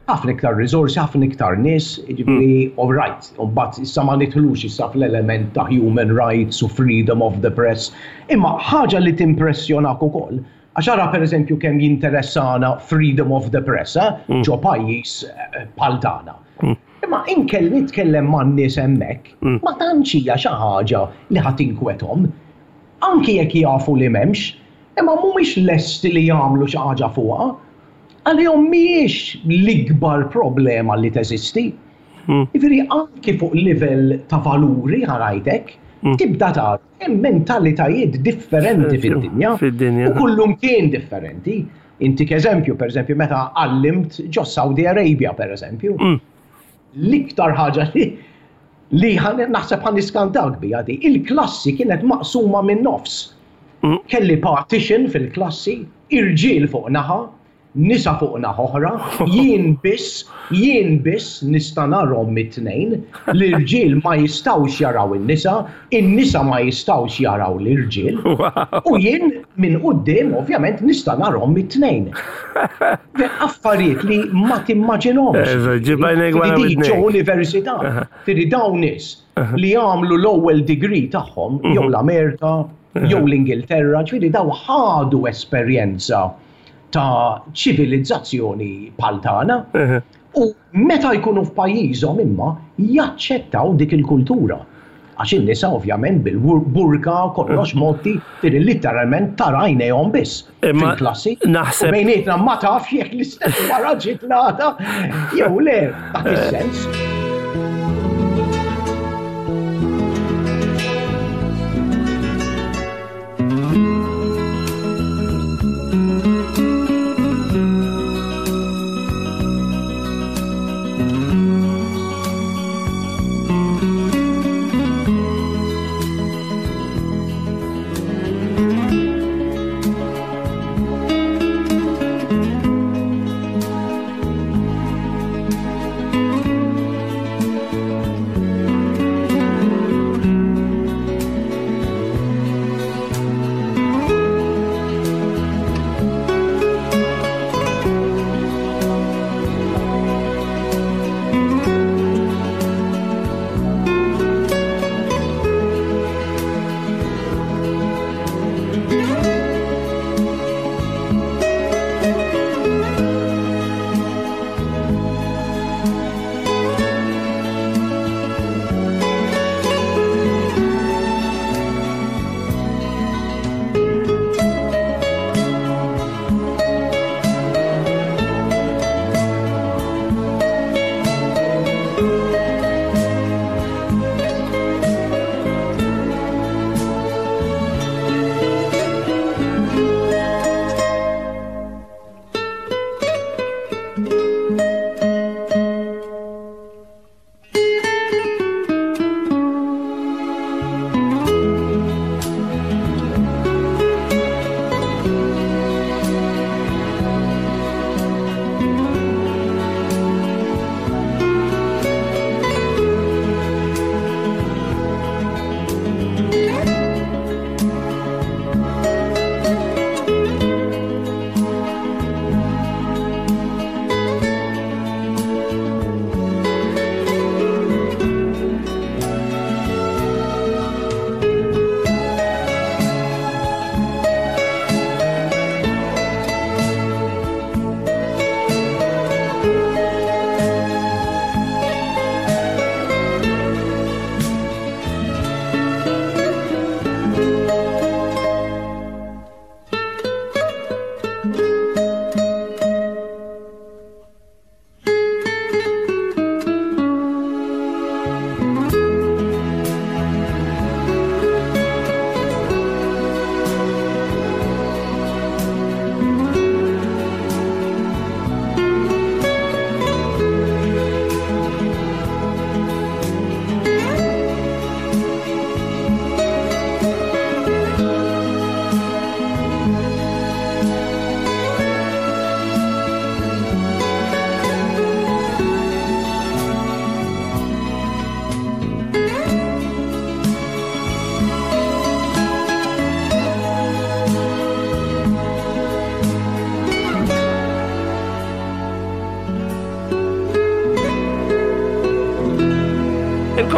Ħafna iktar riżorsi, ħafna iktar nies, jiġifieri mm. all right, mbagħad issa ma nidħlux issa fl-element ta' human rights u freedom of the press. Imma ħaġa li timpressjonak ukoll. Għax ara pereżempju kemm jinteressana freedom of the press eh, mm. ġo pajjiż eh, bħal tagħna. Mm. Imma inkel nitkellem man nies hemmhekk, mm. ma tantx hija xi ħaġa li ħadd inkwethom. Anki jekk jafu li m'hemmx, imma mhumiex lesti li jagħmlu xi ħaġa fuqha. Għalihom mhijiex l-ikbar problema li teżisti. Jiġifieri anki fuq livell ta' valuri ħarajtek, tibda tara Hemm mentalitajiet differenti fid-dinja. Fid-dinja. U kullumkien differenti. Intik eżempju, per eżempju, meta għallimt ġo Saudi Arabia, per eżempju. Mm. L-iktar ħaġa li li naħseb ħan niskantak bija di, il-klassi kienet maqsuma minn nofs. Mm. Kelli partition fil-klassi, irġiel fuq naħa, nisa fuq naħa oħra, jien biss, jien biss nista' narhom it-tnejn, l-irġiel ma jistgħux jaraw in-nisa, in-nisa ma jistgħux jaraw l-irġiel. U jien minn quddiem ovvjament nista' narhom it-tnejn. Affarijiet li ma timmaġinhomx. Ġo università, tiri dawn nies li jagħmlu l-ewwel degree tagħhom jew mhm. l-Amerika jew l-Ingilterra, ġifieri daw ħadu esperjenza ta' ċivilizzazzjoni bħal tagħna u meta jkunu f'pajjiżhom imma jaċċettaw dik il-kultura. Għax in-nisa ovvjament bil-burka kollox motti tiri literalment tara għajnejhom biss fil-klassi. Naħseb. Bejnietna ma tafx jekk l-istess wara ġiet l-għada jew le dak is-sens.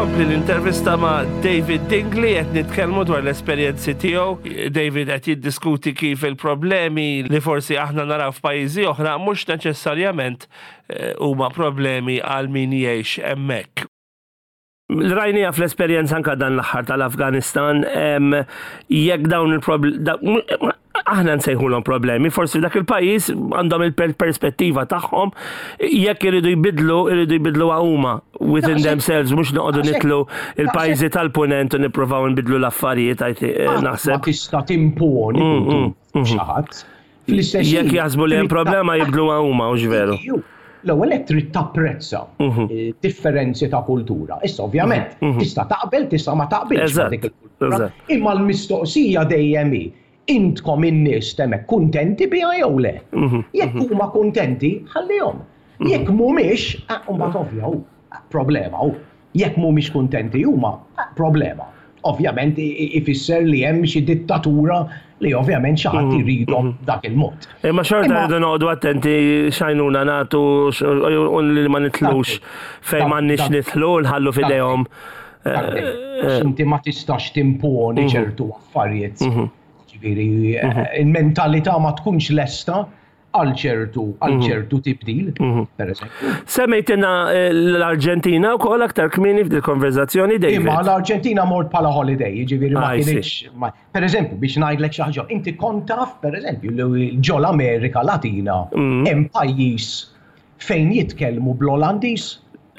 Tkompli l-intervista ma' David Dingley qed nitkellmu dwar l-esperjenzi tiegħu. David qed jiddiskuti kif il-problemi li forsi aħna naraw f'pajjiżi oħra mhux neċessarjament eh, huma problemi għal min jgħix hemmhekk. Rajnija fl-esperjenza anka dan l-aħħar tal-Afganistan, jekk dawn il-problemi, aħna nsejħulhom problemi, forsi dak il-pajjiż għandhom il-perspettiva tagħhom, jekk iridu jbidlu, iridu jbidlu huma within themselves, mhux noqogħdu nitlu il-pajjiżi tal-punent u nippruvaw nbidlu l-affarijiet eh, naħseb. Ma tista' timponi mm, mm, mm. xi ħadd. Fl-istess Jekk jaħsbu li hemm problema jibdlu huma u veru. L-ewwel qed trid tapprezza mhm. eh, differenzi ta' kultura. Issa ovvjament mhm, mhm. tista' taqbel, tista' ma taqbilx ma' dik il-kultura. Imma l-mistoqsija dejjem hi intkom in-nies temek kuntenti biha jew le. Jekk huma kuntenti, ħallihom. Jekk mhumiex, eh, mbagħad ovvja problema hu. Jekk mhumiex kuntenti huma, problema. Ovvjament ifisser li hemm xi dittatura li ovvjament xi ħadd mhm, iridhom mhm. dak il-mod. Imma xorta rridu noqogħdu attenti x'għajnuna nagħtu u li ma nitlux fejn m'għandniex nidħlu nħallu f'idejhom. Eh, eh. Inti ma tistax timponi mhm. ċertu affarijiet. Ġifieri eh, il-mentalità ma tkunx lesta għal ċertu għal mhm. ċertu tibdil, mhm. per eżempju. Semmejtina eh, l-Arġentina wkoll aktar kmieni f'dil konverzazzjoni David. Imma l-Arġentina mort bħala holiday, jiġifieri ma ah, kienx. Per eżempju, biex ngħidlek xi ħaġa, inti kont taf per eżempju li ġol Amerika Latina mhm. hemm pajjiż fejn jitkellmu bl-Olandiż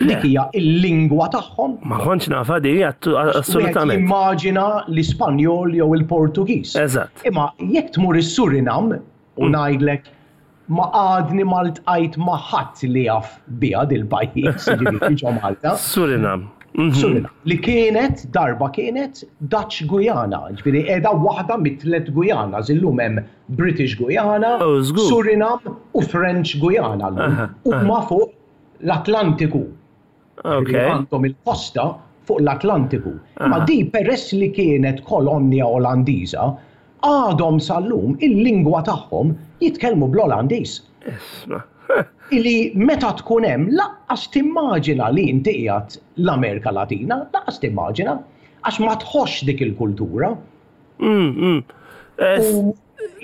dik hija il-lingwa tagħhom. Ma kontx nafa di, assolutament. Immaġina l-Ispanjol jew il-Portugiż. Eżatt. Imma jekk tmur is-Surinam, U ngħidlek ma għadni ma ltqajt ma' ħadd li jaf biha dil-pajjiż, jiġifieri ġo Malta. Surinam. Mhm. Surinam. Li kienet, darba kienet Dutch Guyana, ġifieri qiegħda waħda mit-tlet Guyanas, illum hemm British Guyana, oh, Surinam u French Guyana llum. Huma fuq l-Atlantiku. Għandhom il-kosta fuq l-Atlantiku. Ma di peress li kienet kolonja Olandiża, għadhom sal-lum il-lingwa tagħhom jitkellmu bl-Olandiż. Illi meta tkun hemm laqqas timmaġina li inti qiegħed l-Amerika Latina, laqqas timmaġina, għax ma tħossx dik il-kultura. Mm, mm. U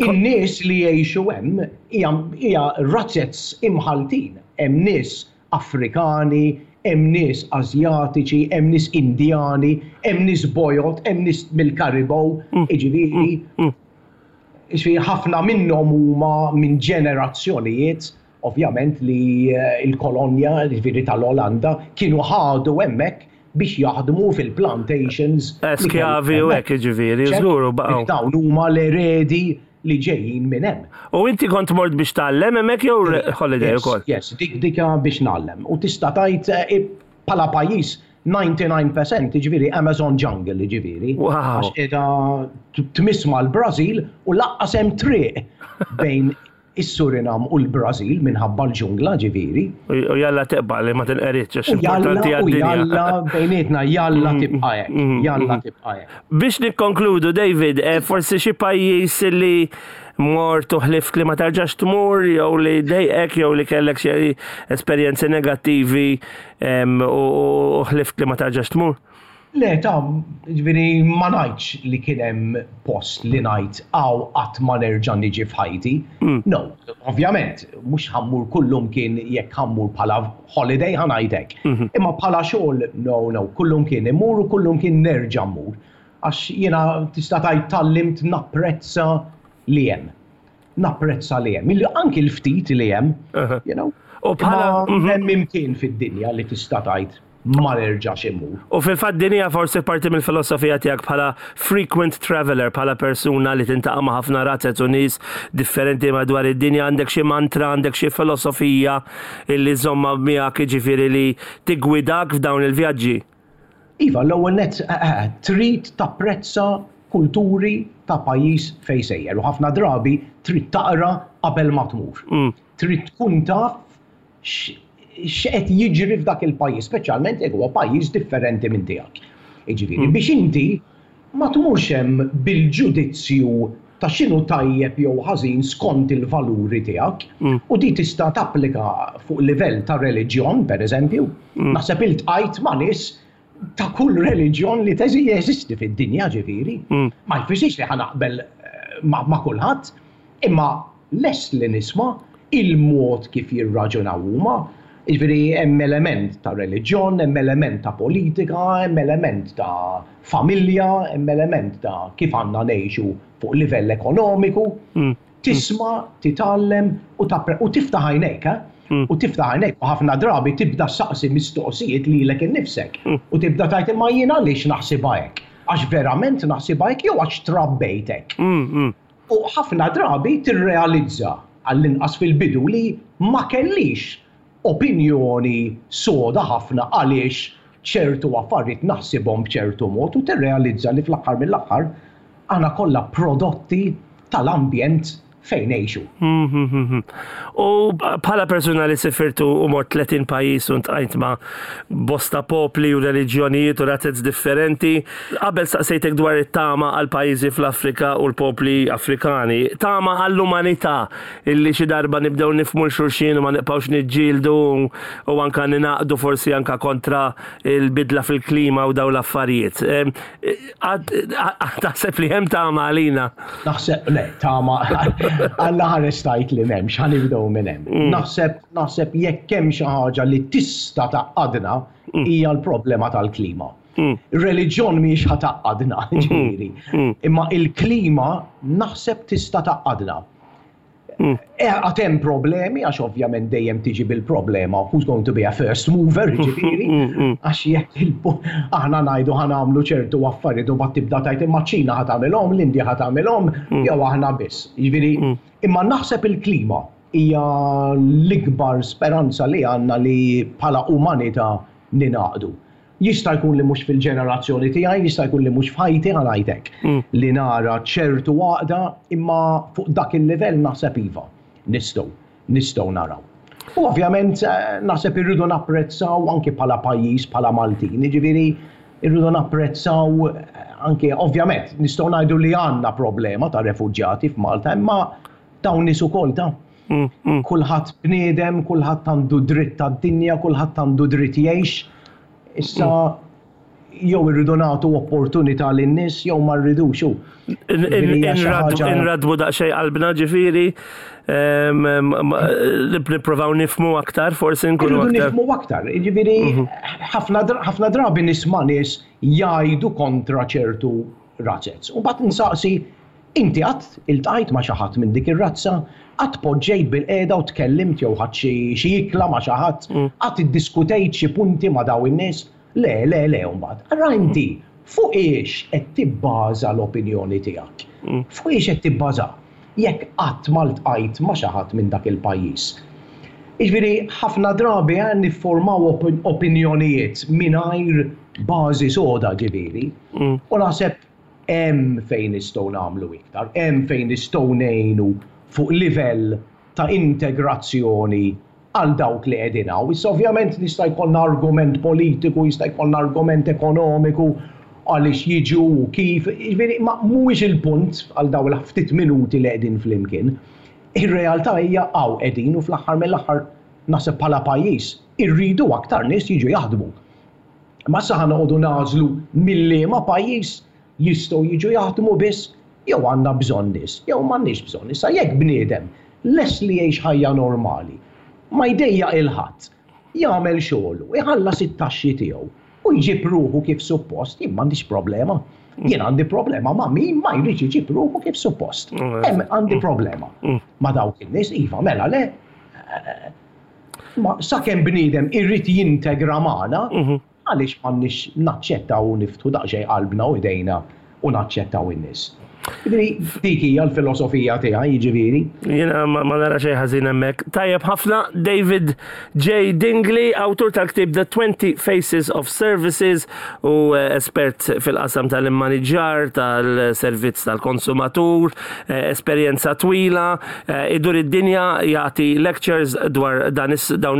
in-nies li jgħixu hemm hija razzez imħaltin. Hemm nies Afrikani, hemm nies Asjatiċi, hemm nies Indjani, hemm nies bojod, hemm nies mill-Karibow, jiġifieri, jiġifieri ħafna minnhom huma minn ġenerazzjonijiet ovvjament li l-kolonja, jiġifieri tal-Olanda, kienu ħadu hemmhekk biex jaħdmu fil-plantations. Skjavi u hekk jiġifieri, żgur u baqgħu. Dawn huma l-eredi li ġejjin minn hemm. U inti kont mort biex tgħallem hemmhekk jew holiday ukoll? Yes, dik dik biex ngħallem. U tista' tgħid eh, bħala pajjiż 99% jiġifieri Amazon jungle jiġifieri. Għax qiegħda tmiss mal-Brażil u laqqas hemm triq bejn is-Surinam u l-Brażil minħabba l-ġungla ġifieri. U jalla tibqa' li ma tinqeridx għax importanti għad-dinja. Jalla bejnietna jalla mm, tibqa' hekk, mm, mm, jalla tibqa' hekk. Biex nikkonkludu David, eh, forsi xi pajjiż li mort u ħlift li ma tarġax tmur jew li dejqek jew li kellek xi esperjenzi negattivi u ħlift li ma tarġax tmur? Le, ta' ġifieri ma ngħidx li kien hemm post li ngħid hawn qatt ma nerġa' niġi f'ħajti. Mm. No, ovvjament, mhux ħa mmur kullumkien jekk ħa mmur bħala holiday ħa ngħid hekk. Mhm. Imma bħala xogħol, no, no, kullumkien immur u kullumkien nerġa' mmur. Għax jiena tista' tgħid tgħallimt napprezza li hemm. Napprezza li hemm. Anki l-ftit li hemm, you know. U bħala mhm. hemm imkien fid-dinja li tista' tgħid ma nerġax immur. U fil-fatt din hija forsi parti mill-filosofija tiegħek bħala frequent traveler, bħala persuna li tintaqa' ma' ħafna razzez u nies differenti madwar id-dinja, għandek xi mantra, għandek xi filosofija illi żommha miegħek jiġifieri li tiggwidak f'dawn il-vjaġġi? Iva, l-ewwel nett eh, eh, trid tapprezza kulturi ta' pajjiż fejn sejjer u ħafna drabi trid taqra qabel ma tmur. Mm. Trid tkun taf x'qed jiġri f'dak il-pajjiż, speċjalment jekk huwa pajjiż differenti minn tiegħek. Jiġifieri mm. biex inti ma tmurx hemm bil-ġudizzju ta' x'inhu tajjeb jew ħażin skont il-valuri tiegħek mm. u di tista' tapplika fuq livell ta' reliġjon, pereżempju. Mm. Naħseb iltqajt ma' nies. ta' kull reliġjon li teżi jeżisti fid-dinja ġifieri. Mm. Ma jfissirx li ħanaqbel eh, ma, ma kulħadd, imma lest li nisma' il-mod kif jirraġunaw huma, jiġifieri hemm element ta' reliġjon, hemm element ta' politika, hemm element ta' familja, hemm element ta' kif għandna ngħixu fuq livell ekonomiku. Mm. Tisma', titgħallem u u tiftaħ għajnejk, eh? Mm. U tiftaħ għajnejk u ħafna drabi tibda saqsi mistoqsijiet lilek innifsek. Mm. U tibda tgħid imma jien għaliex naħsibha hekk? Għax verament naħsibha hekk jew għax trabbejt hekk? Mm, U ħafna drabi tirrealizza, għall-inqas fil-bidu, li ma kellix opinjoni soda ħafna għaliex ċertu affarijiet naħsibhom b'ċertu mod u tirrealizza li fl-aħħar mill-aħħar aħna kollha prodotti tal-ambjent fejn ngħixu. U bħala persuna li sifirtu u mort 30 pajjiż u ntqajt ma' bosta popli u reliġjonijiet u razez differenti, qabel staqsejtek dwar it-tama għal pajjiżi fl-Afrika u l-popli Afrikani, tama għall-umanità illi xi darba nibdew nifhmu 'l xulxin u ma nibqgħux niġġieldu u anka ningħaqdu forsi anka kontra l-bidla fil-klima u dawn l-affarijiet. Taħseb li hemm tama għalina? Naħseb le, tama Alla ħares tajt li m'hemmx, ħa nibdew minn hemm. Mm. Naħseb naħseb jekk hemm xi ħaġa li tista' tgħaqqadna mm. hija l-problema tal-klima. Mm. Reliġjon mhijiex ħa tgħaqqadna, ġifieri. Imma il-klima naħseb tista' tgħaqqadna. Mm. Eh, għad hemm problemi, għax ovvjament dejjem tiġi bil-problema, who's going to be a first mover, ġifieri, mm, mm, għax jekk aħna ngħidu ħa nagħmlu ċertu affarijiet u bat tibda tajt imma ċina ħa tagħmilhom, l-Indja ħa tagħmilhom, jew aħna biss. Ġifieri, imma naħseb il-klima hija l-ikbar speranza li għandna li bħala umanità ninaqdu. Jista' jkun li mhux fil-ġenerazzjoni tiegħi, jista' jkun li mhux f'ħajti ħa ngħid hekk, mm. li nara ċertu għaqda imma fuq dak il-livell naħseb iva, nistgħu, nistgħu naraw. U ovvjament eh, naħseb irridu napprezzaw anki bħala pajjiż, bħala Maltin, jiġifieri irridu napprezzaw eh, anki ovvjament nistgħu ngħidu li għandna problema ta' refuġjati f'Malta, imma dawn nies ukoll ta' mm, mm. Kulħadd bniedem, kulħadd għandu dritt tad-dinja, kulħadd għandu dritt jgħix. Issa mm. jew irridu nagħtu opportunità lin-nies jew ma rridux hu. Inradbu daqsxejn qalbna ġifieri nipprovaw nifmu aktar, forsi nkunu aktar. Nifmu aktar, ġifieri mhm. ħafna drabi nisma' nies jgħidu kontra ċertu razez. U mbagħad nsaqsi Inti qatt iltqajt ma' xi ħadd minn dik ir-razza? Qatt poġġejt bilqiegħda u tkellimt jew ħadt xi xi ikla ma' xi ħadd? Qatt iddiskutejt xi punti ma' dawn in-nies? Le, le, le mbagħad. Ara inti fuq hiex qed tibbaża l-opinjoni tiegħek. Fuq hiex qed tibbażaha jekk qatt ma ltqajt ma' xi ħadd minn dak il-pajjiż. Jiġifieri ħafna drabi nifformaw opinjonijiet mingħajr bażi soda ġifieri. U naħseb Hemm fejn nistgħu nagħmlu iktar, hemm fejn nistgħu ngħinu fuq livell ta' integrazzjoni għal dawk li qegħdin hawn. Issa ovvjament nista' jkollna argument politiku, jista' jkollna argument ekonomiku għaliex jiġu u kif, jiġifieri ma mhuwiex il-punt għal dawn il-ftit minuti li qegħdin flimkien. Ir-realtà hija hawn qegħdin u fl-aħħar mill-aħħar naħseb bħala pajjiż irridu aktar nies jiġu jaħdmu. Imma issa ħa noqogħdu nagħżlu mil-liema pajjiż jistgħu jiġu jaħdmu biss jew għandna bżonn nies jew m'għandniex bżonn. Issa jekk bniedem lest li jgħix ħajja normali, ma jdejjaq 'il ħadd, jagħmel xogħlu, iħallas it-taxxi tiegħu u jġib ruħu kif suppost, jien m'għandix problema. Jien għandi problema ma' min ma jridx iġib ruħu kif suppost. Hemm għandi problema. Ma' dawk in-nies iva mela le. Ma sakemm bniedem irid jintegra magħna, mhm. għaliex m'għandniex naċċettaw u niftħu daqsxejn qalbna u idejna u naċċettaw in-nies. Jiġifieri dik hija l-filosofija tiegħi, jiġifieri. Jiena ma nara xejn ħażin hemmhekk. Tajjeb ħafna David J. Dingley, awtur tal-ktieb The 20 Faces of Services u eh, espert fil-qasam tal-immaniġġar, tal-servizz tal-konsumatur, eh, esperjenza twila, Eh, idur id-dinja jagħti lectures dwar dawn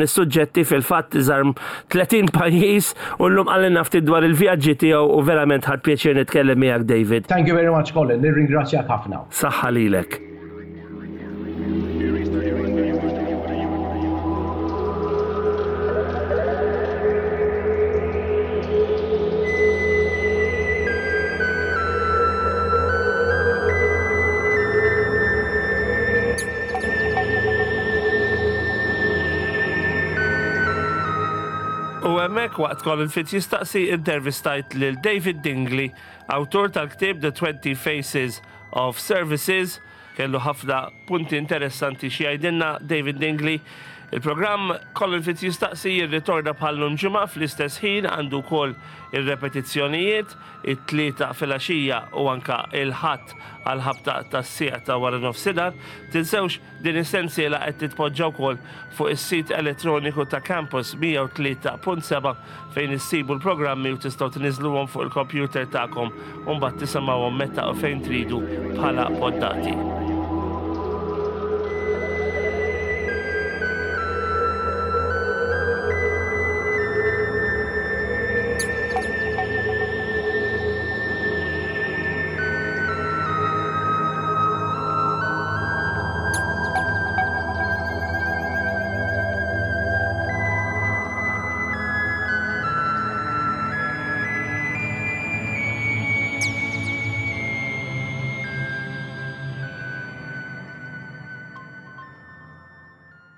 is-suġġetti fil-fatt żar 30 pajjiż u llum qalilna ftit dwar il-vjaġġi tiegħu u verament ħadt pjaċir nitkellem miegħek David. Thank you very much Colin, nirringrazzjak ħafna. Saħħa lilek. U hemmhekk waqt Colin Fitz jistaqsi intervistajt lil David Dingley, awtur tal-ktieb The 20 Faces of Services, kellu ħafna punti interessanti xi jgħidilna David Dingley. Il-programm Colin Fitz jistaqsi jirritorna bħal-lum ġimgħa fl-istess ħin għandu wkoll ir-repetizzjonijiet it-Tlieta filgħaxija u anka il-Ħadd għall-ħabta tas-siegħa ta' wara nofsinhar. Tinsewx Din is-sensiela qed titpoġġa wkoll fuq is-sit elettroniku ta' Campus 103.7 fejn issibu l-programmi u tistgħu tniżżluhom fuq il-kompjuter tagħkom u mbagħad tisimgħuhom meta u fejn tridu bħala poddati.